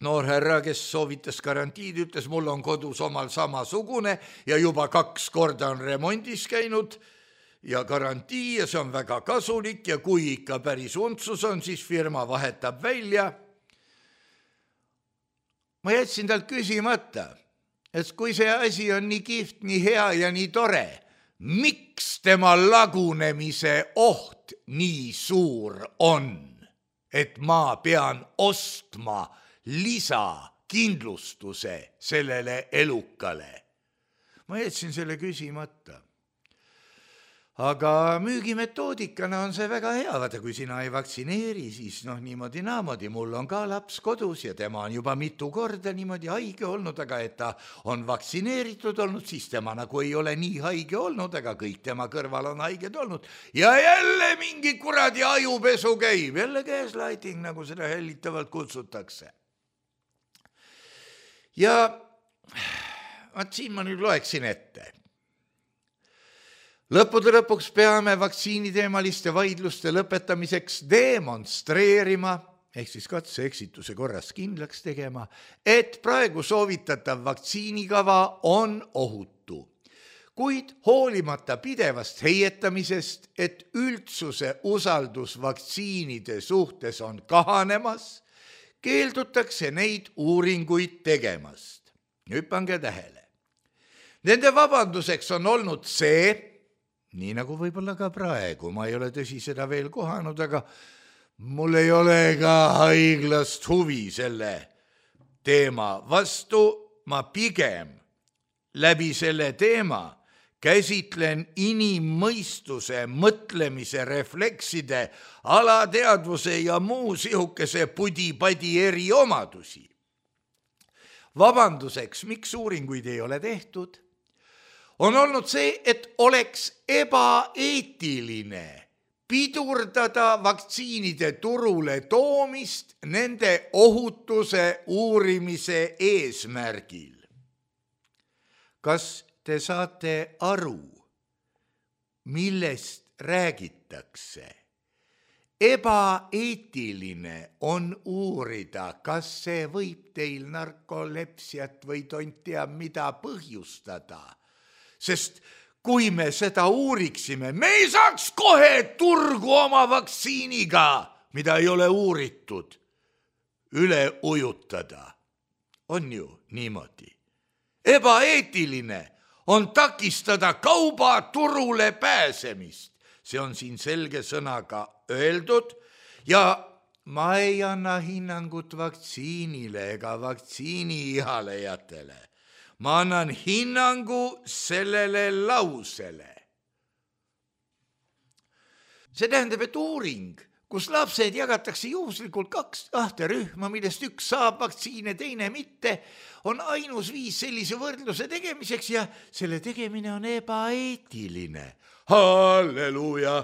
noor härra, kes soovitas garantiid, ütles, mul on kodus omal samasugune ja juba 2 korda on remondis käinud ja garantii ja see on väga kasulik ja kui ikka päris untsus on, siis firma vahetab välja. Ma jätsin talt küsimata, et kui see asi on nii kihvt, nii hea ja nii tore, miks tema lagunemise oht nii suur on, et ma pean ostma lisakindlustuse sellele elukale? Ma jätsin selle küsimata. Aga müügimetoodikana on see väga hea, vaata kui sina ei vaktsineeri, siis niimoodi naamodi, mul on ka laps kodus ja tema on juba mitu korda niimoodi haige olnud, aga et ta on vaktsineeritud olnud, siis tema nagu ei ole nii haige olnud, aga kõik tema kõrval on haiged olnud ja jälle mingi kuradi ajupesu käib, jälle gaslighting, nagu seda hellitavalt kutsutakse. Ja siin ma nüüd loeksin ette. Lõppude lõpuks peame vaktsiiniteemaliste vaidluste lõpetamiseks demonstreerima, ehk siis katse-eksituse korras kindlaks tegema, et praegu soovitatav vaktsiinikava on ohutu. Kuid hoolimata pidevast heietamisest, et üldsuse usaldus vaktsiinide suhtes on kahanemas, keeldutakse neid uuringuid tegemast. Hüppange tähele. Nende vabanduseks on olnud see, nii nagu võib-olla ka praegu, ma ei ole tõsi seda veel kohanud, aga mul ei ole ka haiglast huvi selle teema vastu, ma pigem läbi selle teema käsitlen inimmõistuse, mõtlemise, reflekside, alateadvuse ja muu sihukese pudi-padi eriomadusi. Vabanduseks, miks uuringuid ei ole tehtud, on olnud see, et oleks ebaeetiline pidurdada vaktsiinide turule toomist nende ohutuse uurimise eesmärgil. Kas te saate aru, millest räägitakse? Ebaeetiline on uurida, kas see võib teil narkolepsiat või tont teab mida põhjustada. Sest kui me seda uuriksime, me ei saaks kohe turgu oma vaktsiiniga, mida ei ole uuritud, üle ujutada. On ju niimoodi. Ebaeetiline on takistada kauba turule pääsemist. See on siin selge sõnaga öeldud ja ma ei anna hinnangut vaktsiinile ega vaktsiini ihalejatele. Ma annan hinnangu sellele lausele. See tähendab, et uuring, kus lapsed jagatakse juhuslikult 2 rühma, millest üks saab vaktsiine, teine mitte, on ainus viis sellise võrdluse tegemiseks ja selle tegemine on ebaeetiline. Halleluuja!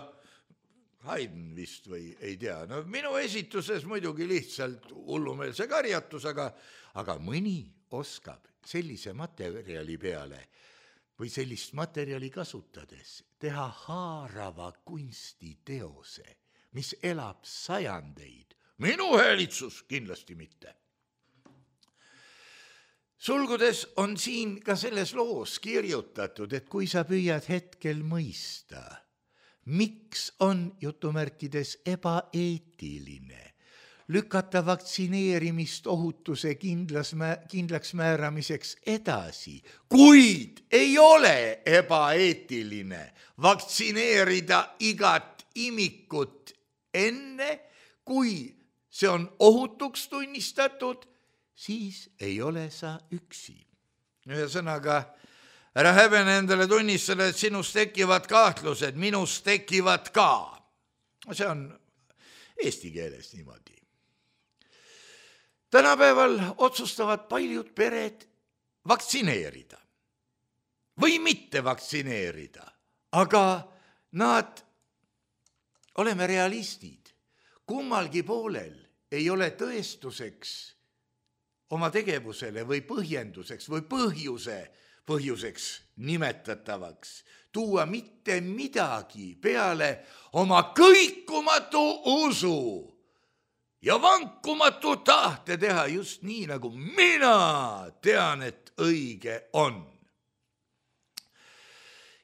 Haydn vist või ei tea. No minu esituses muidugi lihtsalt hullumeelse karjatus, aga mõni oskab sellise materjali peale või sellist materjali kasutades teha haarava kunstiteose, mis elab sajandeid. Minu häälitsus kindlasti mitte. Sulgudes on siin ka selles loos kirjutatud, et kui sa püüad hetkel mõista, miks on jutumärkides ebaeetiline lükata vaktsineerimist ohutuse kindlaks määramiseks edasi, kuid ei ole ebaeetiline vaktsineerida igat imikut enne, kui see on ohutuks tunnistatud, siis ei ole sa üksi. Ühesõnaga, ära häbene endale tunnistada, et sinust tekivad kahtlused, minust tekivad ka. See on eesti keeles niimoodi. Tänapäeval otsustavad paljud pered vaktsineerida või mitte vaktsineerida, aga nad, oleme realistid, kummalgi poolel ei ole tõestuseks oma tegevusele või põhjenduseks või põhjuseks nimetatavaks tuua mitte midagi peale oma kõikumatu usu ja vankumatu tahte teha just nii, nagu mina tean, et õige on.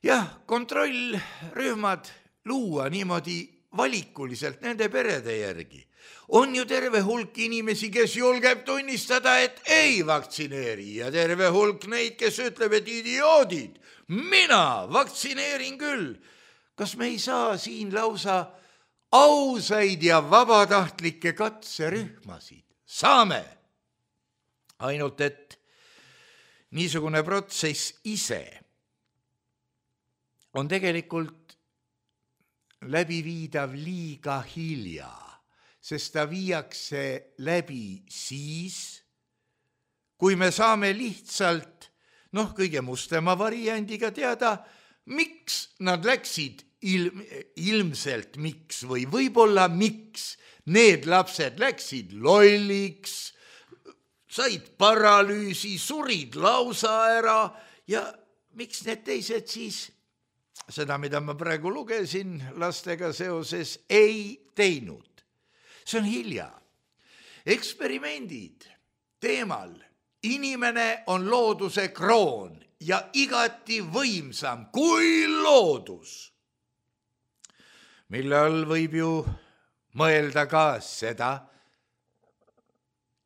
Jah, kontrollrühmad luua niimoodi valikuliselt nende perede järgi. On ju terve hulk inimesi, kes julgeb tunnistada, et ei vaktsineeri ja terve hulk neid, kes ütleb, et idioodid, mina vaktsineerin küll. Kas me ei saa siin lausa ausaid ja vabatahtlikke katserühmasid? Saame. Ainult, et niisugune protsess ise on tegelikult läbiviidav liiga hilja, sest ta viiakse läbi siis, kui me saame lihtsalt, kõige mustema variandiga teada, miks nad läksid ilmselt miks või võib-olla miks need lapsed läksid lolliks, said paralüüsi, surid lausa ära ja miks need teised siis seda, mida ma praegu lugesin lastega seoses, ei teinud. See on hilja. Eksperimendid teemal inimene on looduse kroon ja igati võimsam kui loodus, mille all võib ju mõelda ka seda,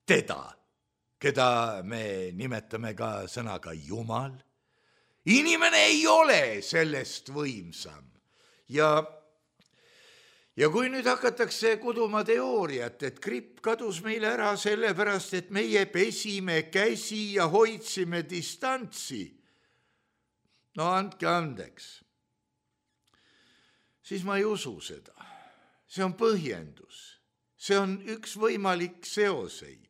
keda me nimetame ka sõnaga Jumal. Inimene ei ole sellest võimsam. Ja kui nüüd hakatakse kuduma teooriat, et gripp kadus meile ära sellepärast, et meie pesime käsi ja hoidsime distantsi, andke andeks, siis ma ei usu seda. See on põhjendus. See on üks võimalik seoseid,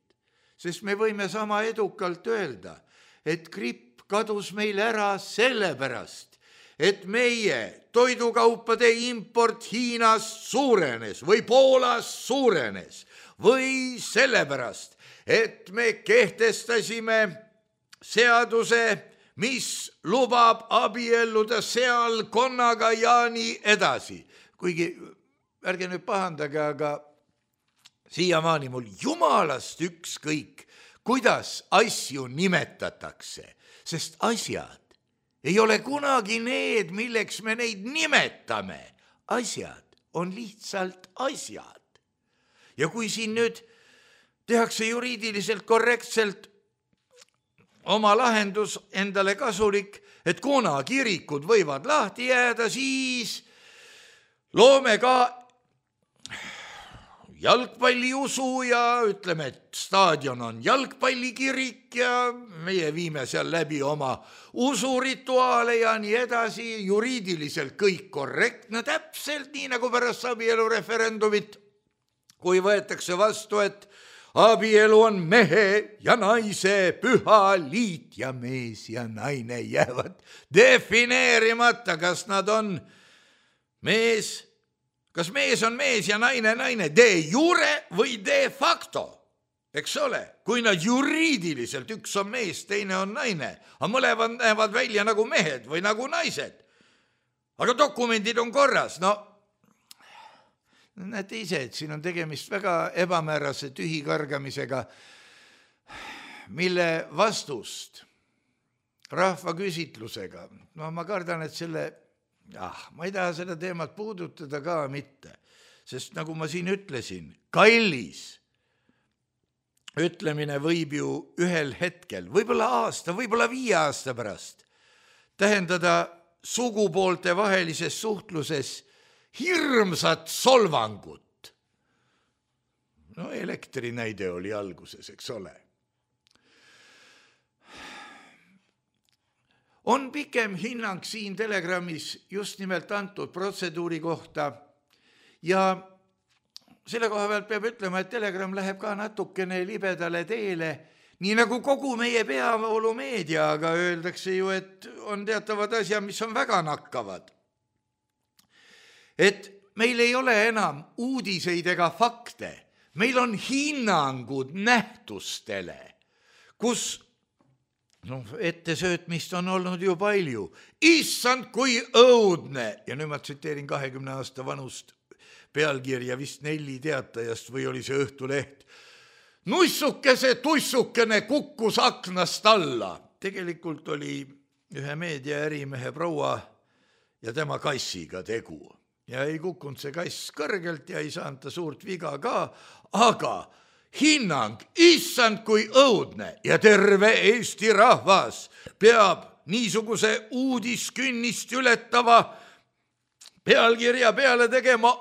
sest me võime sama edukalt öelda, et gripp kadus meil ära sellepärast, et meie toidukaupade import Hiinast suurenes või Poolast suurenes või sellepärast, et me kehtestasime seaduse, mis lubab abielluda seal konnaga ja nii edasi. Kuigi, ärge nüüd pahandage, aga siiamaani mul jumalast ükskõik, kuidas asju nimetatakse, sest asjad ei ole kunagi need, milleks me neid nimetame. Asjad on lihtsalt asjad. Ja kui siin nüüd tehakse juriidiliselt korrektselt oma lahendus endale kasulik, et kuna kirikud võivad lahti jääda, siis loome ka jalgpalliusu ja ütleme, et staadion on jalgpallikirik ja meie viime seal läbi oma usurituaale ja nii edasi, juriidiliselt kõik korrektne, täpselt nii nagu pärast abielureferendumit, kui võetakse vastu, et abielu on mehe ja naise püha liit ja mees ja naine jäävad defineerimata, kas nad on mees kas mees on mees ja naine naine, de jure või de facto, eks ole, kui nad juriidiliselt, üks on mees, teine on naine, aga mõlemad näevad välja nagu mehed või nagu naised. Aga dokumendid on korras, no näete ise, et siin on tegemist väga ebamäärase tühikargamisega, mille vastust rahvaküsitlusega, no ma kardan, et ma ei taha seda teemat puudutada ka mitte, sest nagu ma siin ütlesin, kallis ütlemine võib ju ühel hetkel, võib-olla aasta, võib-olla 5 aasta pärast tähendada sugupoolte vahelises suhtluses hirmsat solvangut. No elektrinäide oli alguses, eks ole. On pikem hinnang siin Telegrammis just nimelt antud protseduuri kohta ja selle koha pealt peab ütlema, et Telegram läheb ka natukene libedale teele, nii nagu kogu meie peavoolumeedia, aga öeldakse ju, et on teatavad asjad, mis on väga nakkavad. Et meil ei ole enam uudiseid ega fakte, meil on hinnangud nähtustele, kus ettesöötmist on olnud ju palju. Issand, kui õudne! Ja nüüd ma tsiteerin 20 aasta vanust pealkirja vist 4 teatajast või oli see Õhtuleht. Nussukese tussukene kukkus aknast alla. Tegelikult oli ühe meediaärimehe proua ja tema kassiga tegu. Ja ei kukkunud see kass kõrgelt ja ei saanud ta suurt viga ka, aga hinnang, issand kui õudne ja terve Eesti rahvas peab niisuguse uudiskünnist ületava pealkirja peale tegema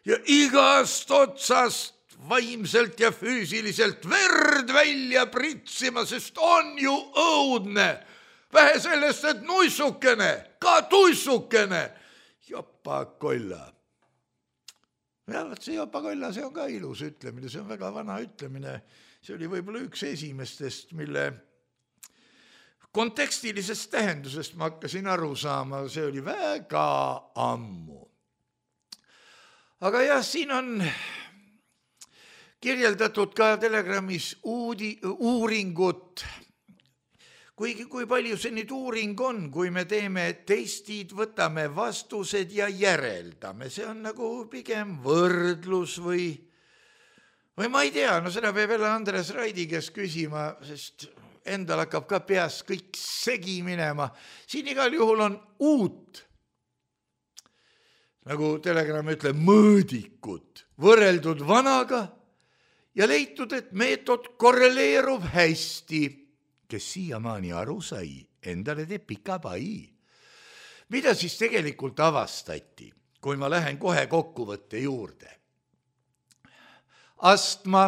ja igast otsast vaimselt ja füüsiliselt verd välja pritsima, sest on ju õudne. Vähe sellest, et nuissukene, ka tuissukene, jopakolla. Ja see jopakolla, see on ka ilus ütlemine, see on väga vana ütlemine. See oli võib-olla üks esimestest, mille kontekstilisest tähendusest ma hakkasin aru saama, see oli väga ammu. Aga jah, siin on kirjeldatud ka Telegrammis uuringut, kui palju see nüüd uuring on, kui me teeme testid, võtame vastused ja järeldame, see on nagu pigem võrdlus või ma ei tea, no seda peab jälle Andres Raidi käest küsima, sest endal hakkab ka peas kõik segi minema. Siin igal juhul on uut, nagu Telegram ütleb, mõõdikut võrreldud vanaga ja leitud, et meetod korreleerub hästi. Kes siiamaani aru sai, endale teeb pika pai. Mida siis tegelikult avastati, kui ma lähen kohe kokkuvõtte juurde? Astma,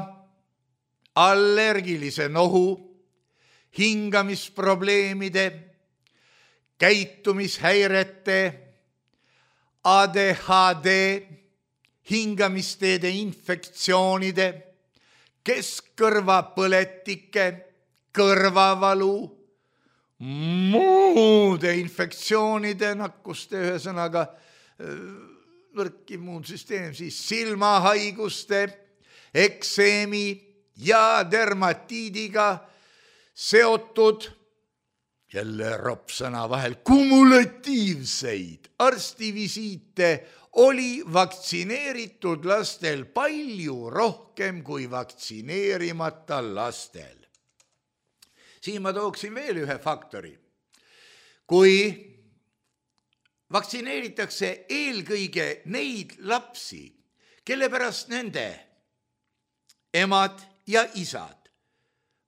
allergilise nohu, hingamisprobleemide, käitumishäirete, ADHD, hingamisteede infektsioonide, keskkõrvapõletike, kõrvavalu, muude infektsioonide, nakkuste, ühesõnaga nõrk immuunsüsteem, siis silmahaiguste, ekseemi ja dermatiidiga seotud, jälle ropsõna vahel, kumulatiivseid arstivisiite oli vaktsineeritud lastel palju rohkem kui vaktsineerimata lastel. Siin ma tooksin veel ühe faktori. Kui vaktsineeritakse eelkõige neid lapsi, kelle pärast nende emad ja isad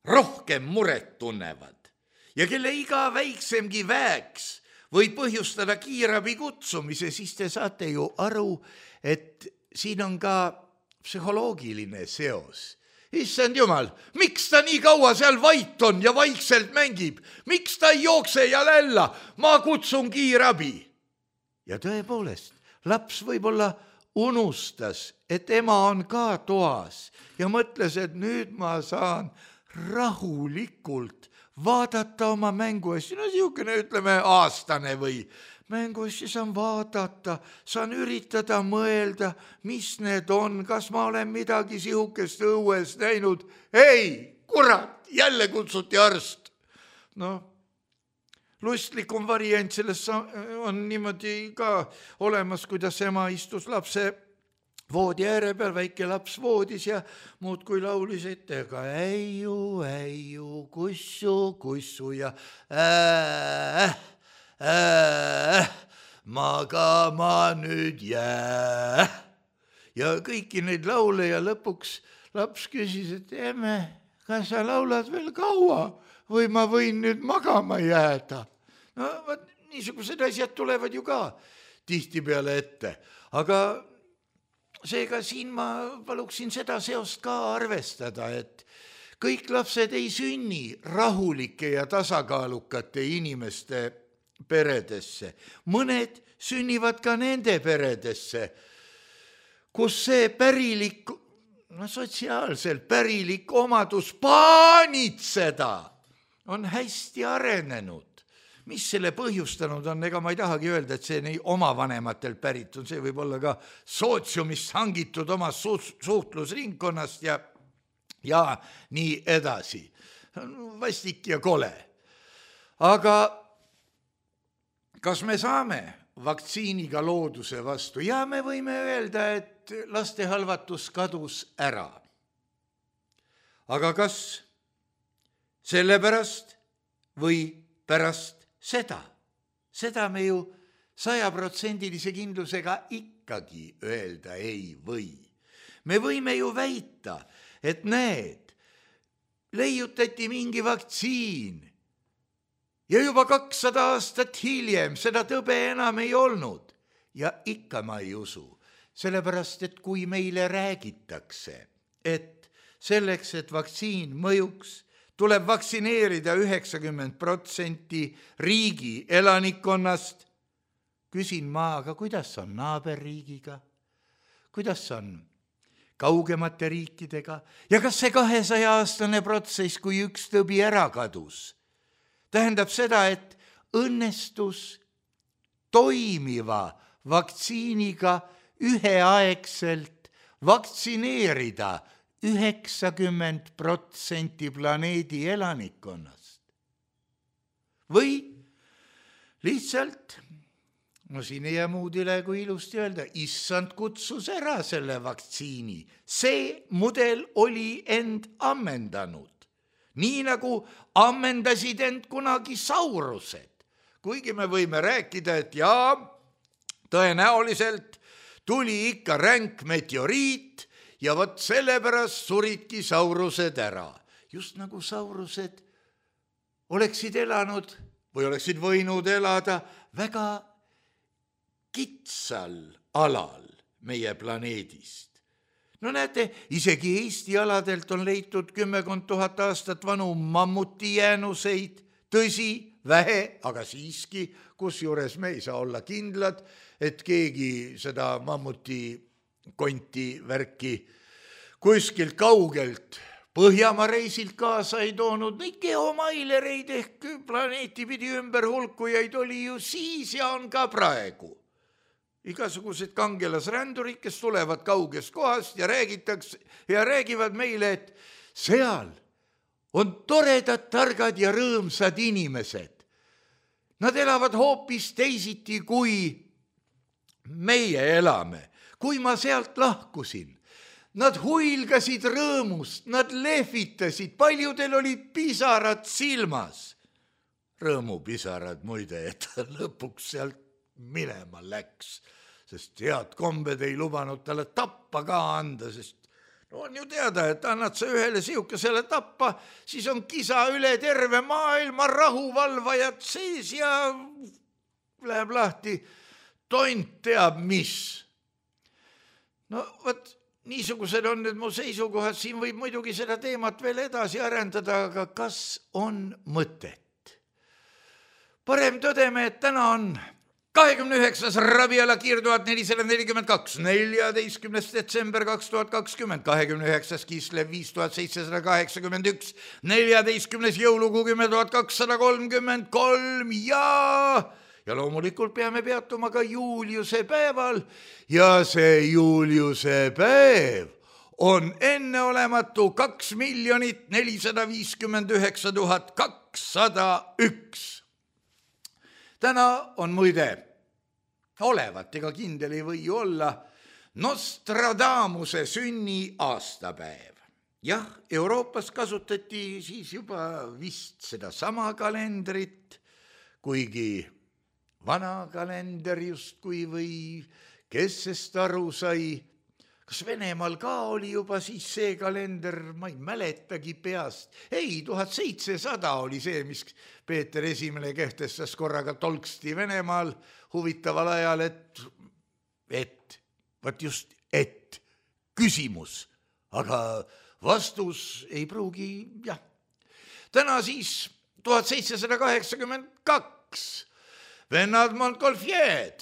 rohkem muret tunnevad ja kelle iga väiksemgi väeks võib põhjustada kiirabi kutsumise, siis te saate ju aru, et siin on ka psühholoogiline seos. Issand jumal, miks ta nii kaua seal vait on ja vaikselt mängib? Miks ta ei jookse ja lälla? Ma kutsun kiirabi. Ja tõepoolest, laps võib-olla unustas, et ema on ka toas ja mõtles, et nüüd ma saan rahulikult vaadata oma mängu. No siukene, ütleme, aastane või mänguasju saan vaadata, saan üritada mõelda, mis need on, kas ma olen midagi sihukest õues näinud. Ei, kurat, jälle kutsuti arst. Lustlikum variant sellest on niimoodi ka olemas, kuidas ema istus lapse voodi ääre peal, väike laps voodis ja muud kui laulis ettega äiu, kussu ja magama nüüd jää. Ja kõiki neid laule ja lõpuks laps küsis, et emme, kas sa laulad veel kaua või ma võin nüüd magama jääda? Niisugused asjad tulevad ju ka tihtipeale ette, aga seega siin ma paluksin seda seost ka arvestada, et kõik lapsed ei sünni rahulike ja tasakaalukate inimeste peredesse. Mõned sünnivad ka nende peredesse, kus see pärilik, sotsiaalselt pärilik omadus paanitseda on hästi arenenud. Mis selle põhjustanud on, ega ma ei tahagi öelda, et see nii oma vanematelt pärit on, see võib olla ka sootsiumist hangitud oma suhtlusringkonnast ja nii edasi. Vastik ja kole. Aga kas me saame vaktsiiniga looduse vastu? Ja me võime öelda, et laste halvatus kadus ära. Aga kas sellepärast või pärast seda me ju 100% kindlusega ikkagi öelda ei või. Me võime ju väita, et need leiutati mingi vaktsiin ja juba 200 aastat hiljem seda tõbe enam ei olnud. Ja ikka ma ei usu, sellepärast, et kui meile räägitakse, et selleks, et vaktsiin mõjuks, tuleb vaktsineerida 90% riigi elanikkonnast. Küsin ma, aga kuidas on naaberriigiga? Kuidas on kaugemate riikidega? Ja kas see 200-aastane protsess, kui üks tõbi ära kadus, tähendab seda, et õnnestus toimiva vaktsiiniga üheaegselt vaktsineerida 90% planeedi elanikkonnast. Või lihtsalt, siin ei jää muud üle kui ilusti öelda, issand kutsus ära selle vaktsiini. See mudel oli end ammendanud. Nii nagu ammendasid end kunagi saurused. Kuigi me võime rääkida, et jaa, tõenäoliselt tuli ikka ränk meteoriit, ja vot sellepärast suridki saurused ära. Just nagu saurused oleksid elanud või oleksid võinud elada väga kitsal alal meie planeedist. Näete, isegi Eesti aladelt on leitud 10 000 aastat vanu mammuti jäänuseid. Tõsi, vähe, aga siiski, kusjuures me ei saa olla kindlad, et keegi seda mammuti konti värki kuskilt kaugelt Põhjamaa reisilt kaasa ei toonud. Neid geomailereid ehk planeeti pidi ümber hulkujaid oli ju siis ja on ka praegu. Igasugused kangelasrändurid, kes tulevad kaugest kohast ja räägivad meile, et seal on toredad, targad ja rõõmsad inimesed. Nad elavad hoopis teisiti, kui meie elame. Kui ma sealt lahkusin, nad huilgasid rõõmust, nad lehvitasid, paljudel olid pisarad silmas. Rõõmupisarad muide, et lõpuks sealt minema läks, sest head kombed ei lubanud talle tappa ka anda, sest on ju teada, et annad sa ühele sihukesele tappa, siis on kisa üle terve maailma, rahuvalvajad sees ja läheb lahti tont teab mis. Vot niisugused on need mu seisukohad, siin võib muidugi seda teemat veel edasi arendada, aga kas on mõtet? Parem tõdeme, et täna on 29. Rabiala Kiir 1442, 14. detsember 2020, 29. Kislev 5781, 14. jõulukuu 10 233 ja loomulikult peame peatuma ka Juliuse päeval ja see Juliuse päev on enneolematu 2 459 201. Täna on muide olevat, ega kindel ei või ju olla, Nostradamuse sünni aastapäev. Jah, Euroopas kasutati siis juba vist seda sama kalendrit, kuigi vana kalender justkui või kes sest aru sai. Kas Venemaal ka oli juba siis see kalender, ma ei mäletagi peast. Ei, 1700 oli see, mis Peeter Esimene kehtestas korraga tolksti Venemaal huvitaval ajal, et küsimus, aga vastus ei pruugi, jah. Täna siis 1782 vennad Montgolfier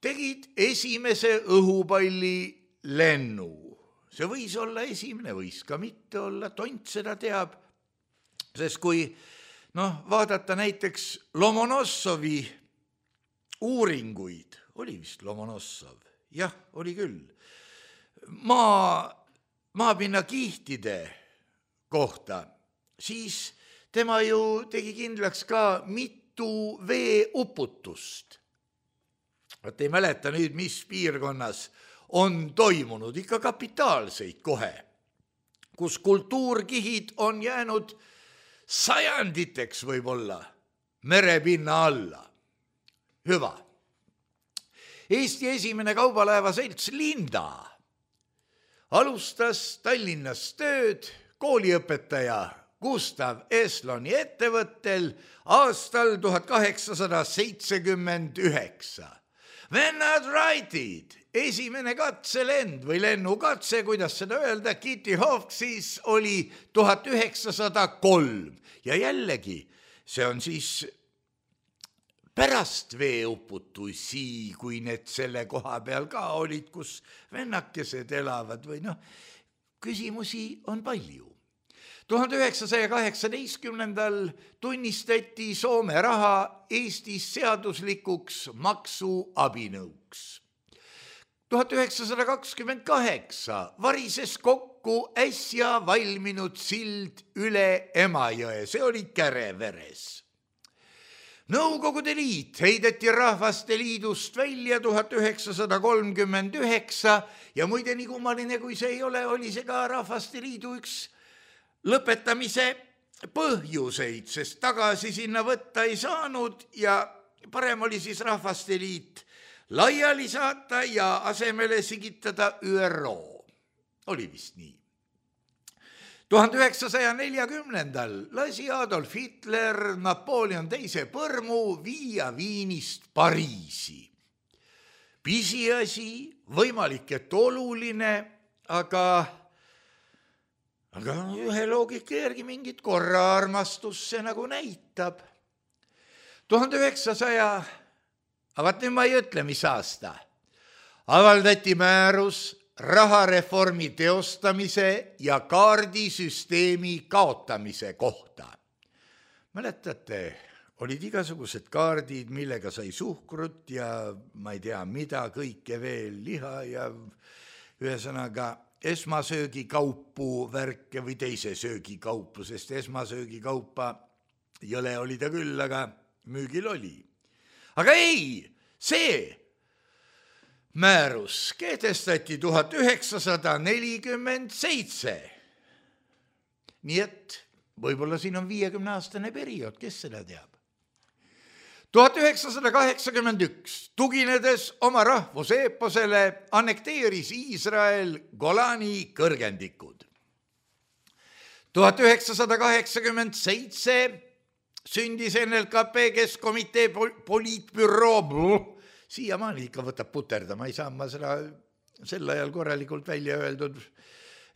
tegid esimese õhupalli lennu. See võis olla esimene, võis ka mitte olla, tont seda teab, sest kui vaadata näiteks Lomonossovi uuringuid, oli vist Lomonossov, jah, oli küll, maapinna kihtide kohta, siis tema ju tegi kindlaks ka mitu veeuputust. Vaat ei mäleta nüüd, mis piirkonnas on toimunud, ikka kapitaalseid kohe, kus kultuurkihid on jäänud sajanditeks võib-olla merepinna alla. Hüva. Eesti esimene kaubalaevaselts Linda alustas Tallinnas tööd kooliõpetaja Gustav Esloni ettevõttel aastal 1879. Vennad Wrightid, esimene katselend või lennukatse, kuidas seda öelda, Kitty Hawksis oli 1903 ja jällegi see on siis pärast veeuputusi, kui need selle koha peal ka olid, kus vennakesed elavad või küsimusi on palju. 1918. tunnistati Soome raha Eestis seaduslikuks maksuabinõuks. 1928 varises kokku äsja valminud sild üle Emajõe, see oli Käreveres. Nõukogude Liit heideti Rahvaste Liidust välja 1939 ja muide nii kummaline, kui see ei ole, oli see ka Rahvaste Liidu üks lõpetamise põhjuseid, sest tagasi sinna võtta ei saanud ja parem oli siis Rahvaste Liit laiali saata ja asemele sigitada ÜRO. Oli vist nii. 1940. lasi Adolf Hitler Napoleon II põrmu viia Viinist Pariisi. Pisiasi, võimalik, et oluline, aga ühe loogika järgi mingit korraarmastust see nagu näitab. 1900, vaat nüüd ma ei ütle, mis aasta, avaldati määrus rahareformi teostamise ja kaardisüsteemi kaotamise kohta. Mäletate, olid igasugused kaardid, millega sai suhkrut ja ma ei tea mida, kõike veel, liha ja ühesõnaga esmasöögikaupu värke või teise söögikaupu, sest esmasöögikaupa jõle oli ta küll, aga müügil oli. Aga ei, see määrus kehtestati 1947. Nii et võib-olla siin on 50-aastane periood, kes seda teab. 1981 tuginedes oma rahvuseeposele annekteeris Iisrael Golani kõrgendikud. 1987 sündis NLKP Keskkomitee poliitbüroo, siiamaani ikka võtab puterda, ma ei saa seda sel ajal korralikult välja öeldud,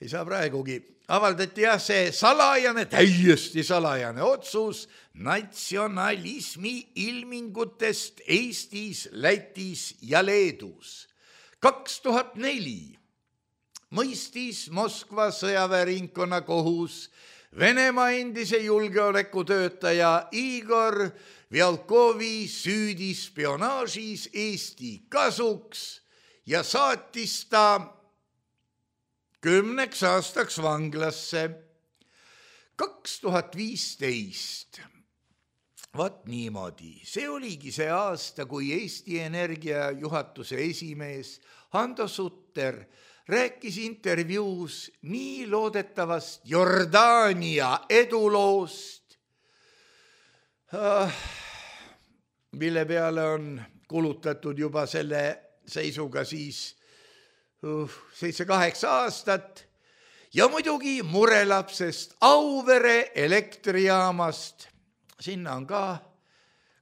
ei saa praegugi. Avaldati see salajane, täiesti salajane otsus natsionalismi ilmingutest Eestis, Lätis ja Leedus. 2004 mõistis Moskva sõjaväeringkonna kohus Venemaa endise julgeolekutöötaja Igor Vjalkovi süüdi spionaažis Eesti kasuks ja saatis ta 10 aastaks vanglasse. 2015. Vat niimoodi. See oligi see aasta, kui Eesti Energia juhatuse esimees Hando Sutter rääkis intervjuus nii loodetavast Jordaania eduloost, mille peale on kulutatud juba selle seisuga siis 7-8 aastat ja muidugi murelapsest Auvere elektrijaamast. Sinna on ka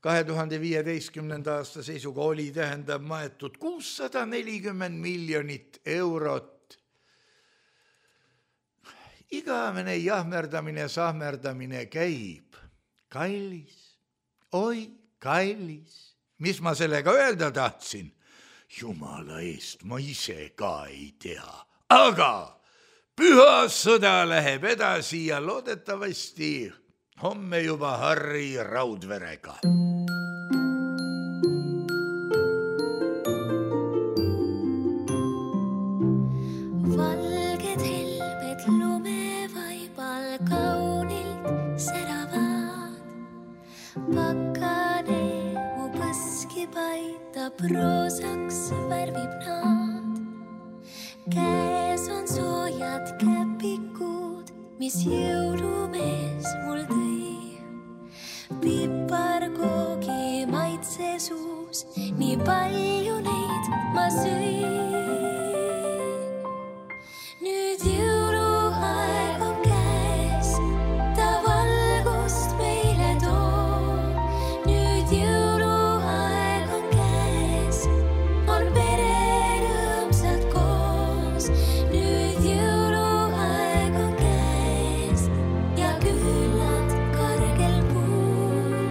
2015. aasta seisuga oli maetud 640 miljonit eurot. Igavene jahmerdamine ja sahmerdamine käib. Kallis, oi kallis. Mis ma sellega öelda tahtsin? Jumala eest, ma ise ka ei tea. Aga püha sõda läheb edasi ja loodetavasti homme juba Harri Raudverega. Valged helbed lumevaibal kaunilt säravad. Pakane mu põski paitab, roosaks värvib nad. Käes on soojad käpikud, mis jõulumees mul tõi. Piparkoogi maitse suus, nii palju neid ma sõin. Nüüd jõuluaeg on käes, ta valgust meile toob. Nüüd jõuluaeg on käes, on pere rõõmsad koos. Nüüd jõuluaeg on käes ja küllad kargel puul.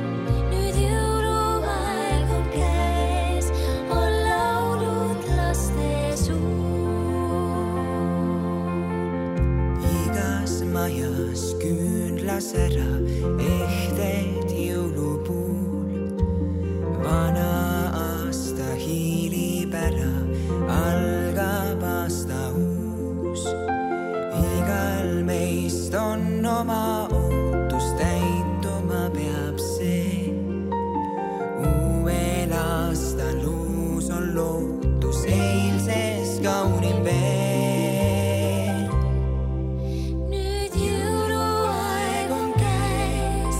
Nüüd jõuluaeg on käes, on laulud laste suul. Igas majas küünlas ära ehted jõulupuul. Vana aasta hiilib ära, algab aasta uus. Igal meist on oma ootus, täituma peab see. Uuel aastal uus on lootus, eilses kaunim veel. Nüüd jõuluaeg on käes,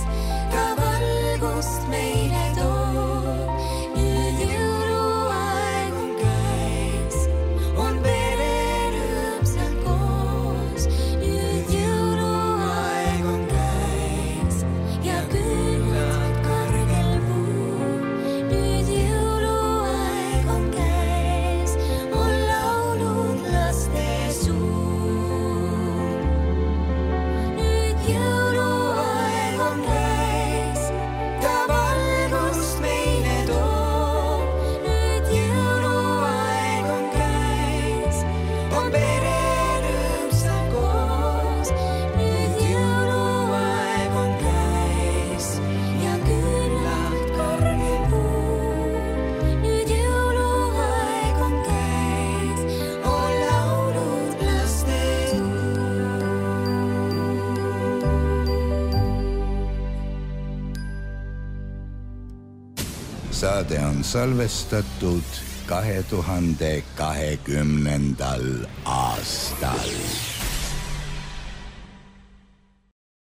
ta valgust meile toob. Nüüd jõuluaeg on käes, on pere rõõmsad koos. Nüüd jõuluaeg on käes ja küllad kargel puul. Nüüd jõuluaeg on käes, on laulud laste suul. Nüüd jõuluaeg on käes, ta valgust meile toob. Nüüd jõuluaeg on käes, on pere rõõmsad koos. Nüüd jõuluaeg on käes ja küllad kargel puul. Nüüd jõuluaeg on käes, on laulud laste suul. Saade on salvestatud 2020. aastal.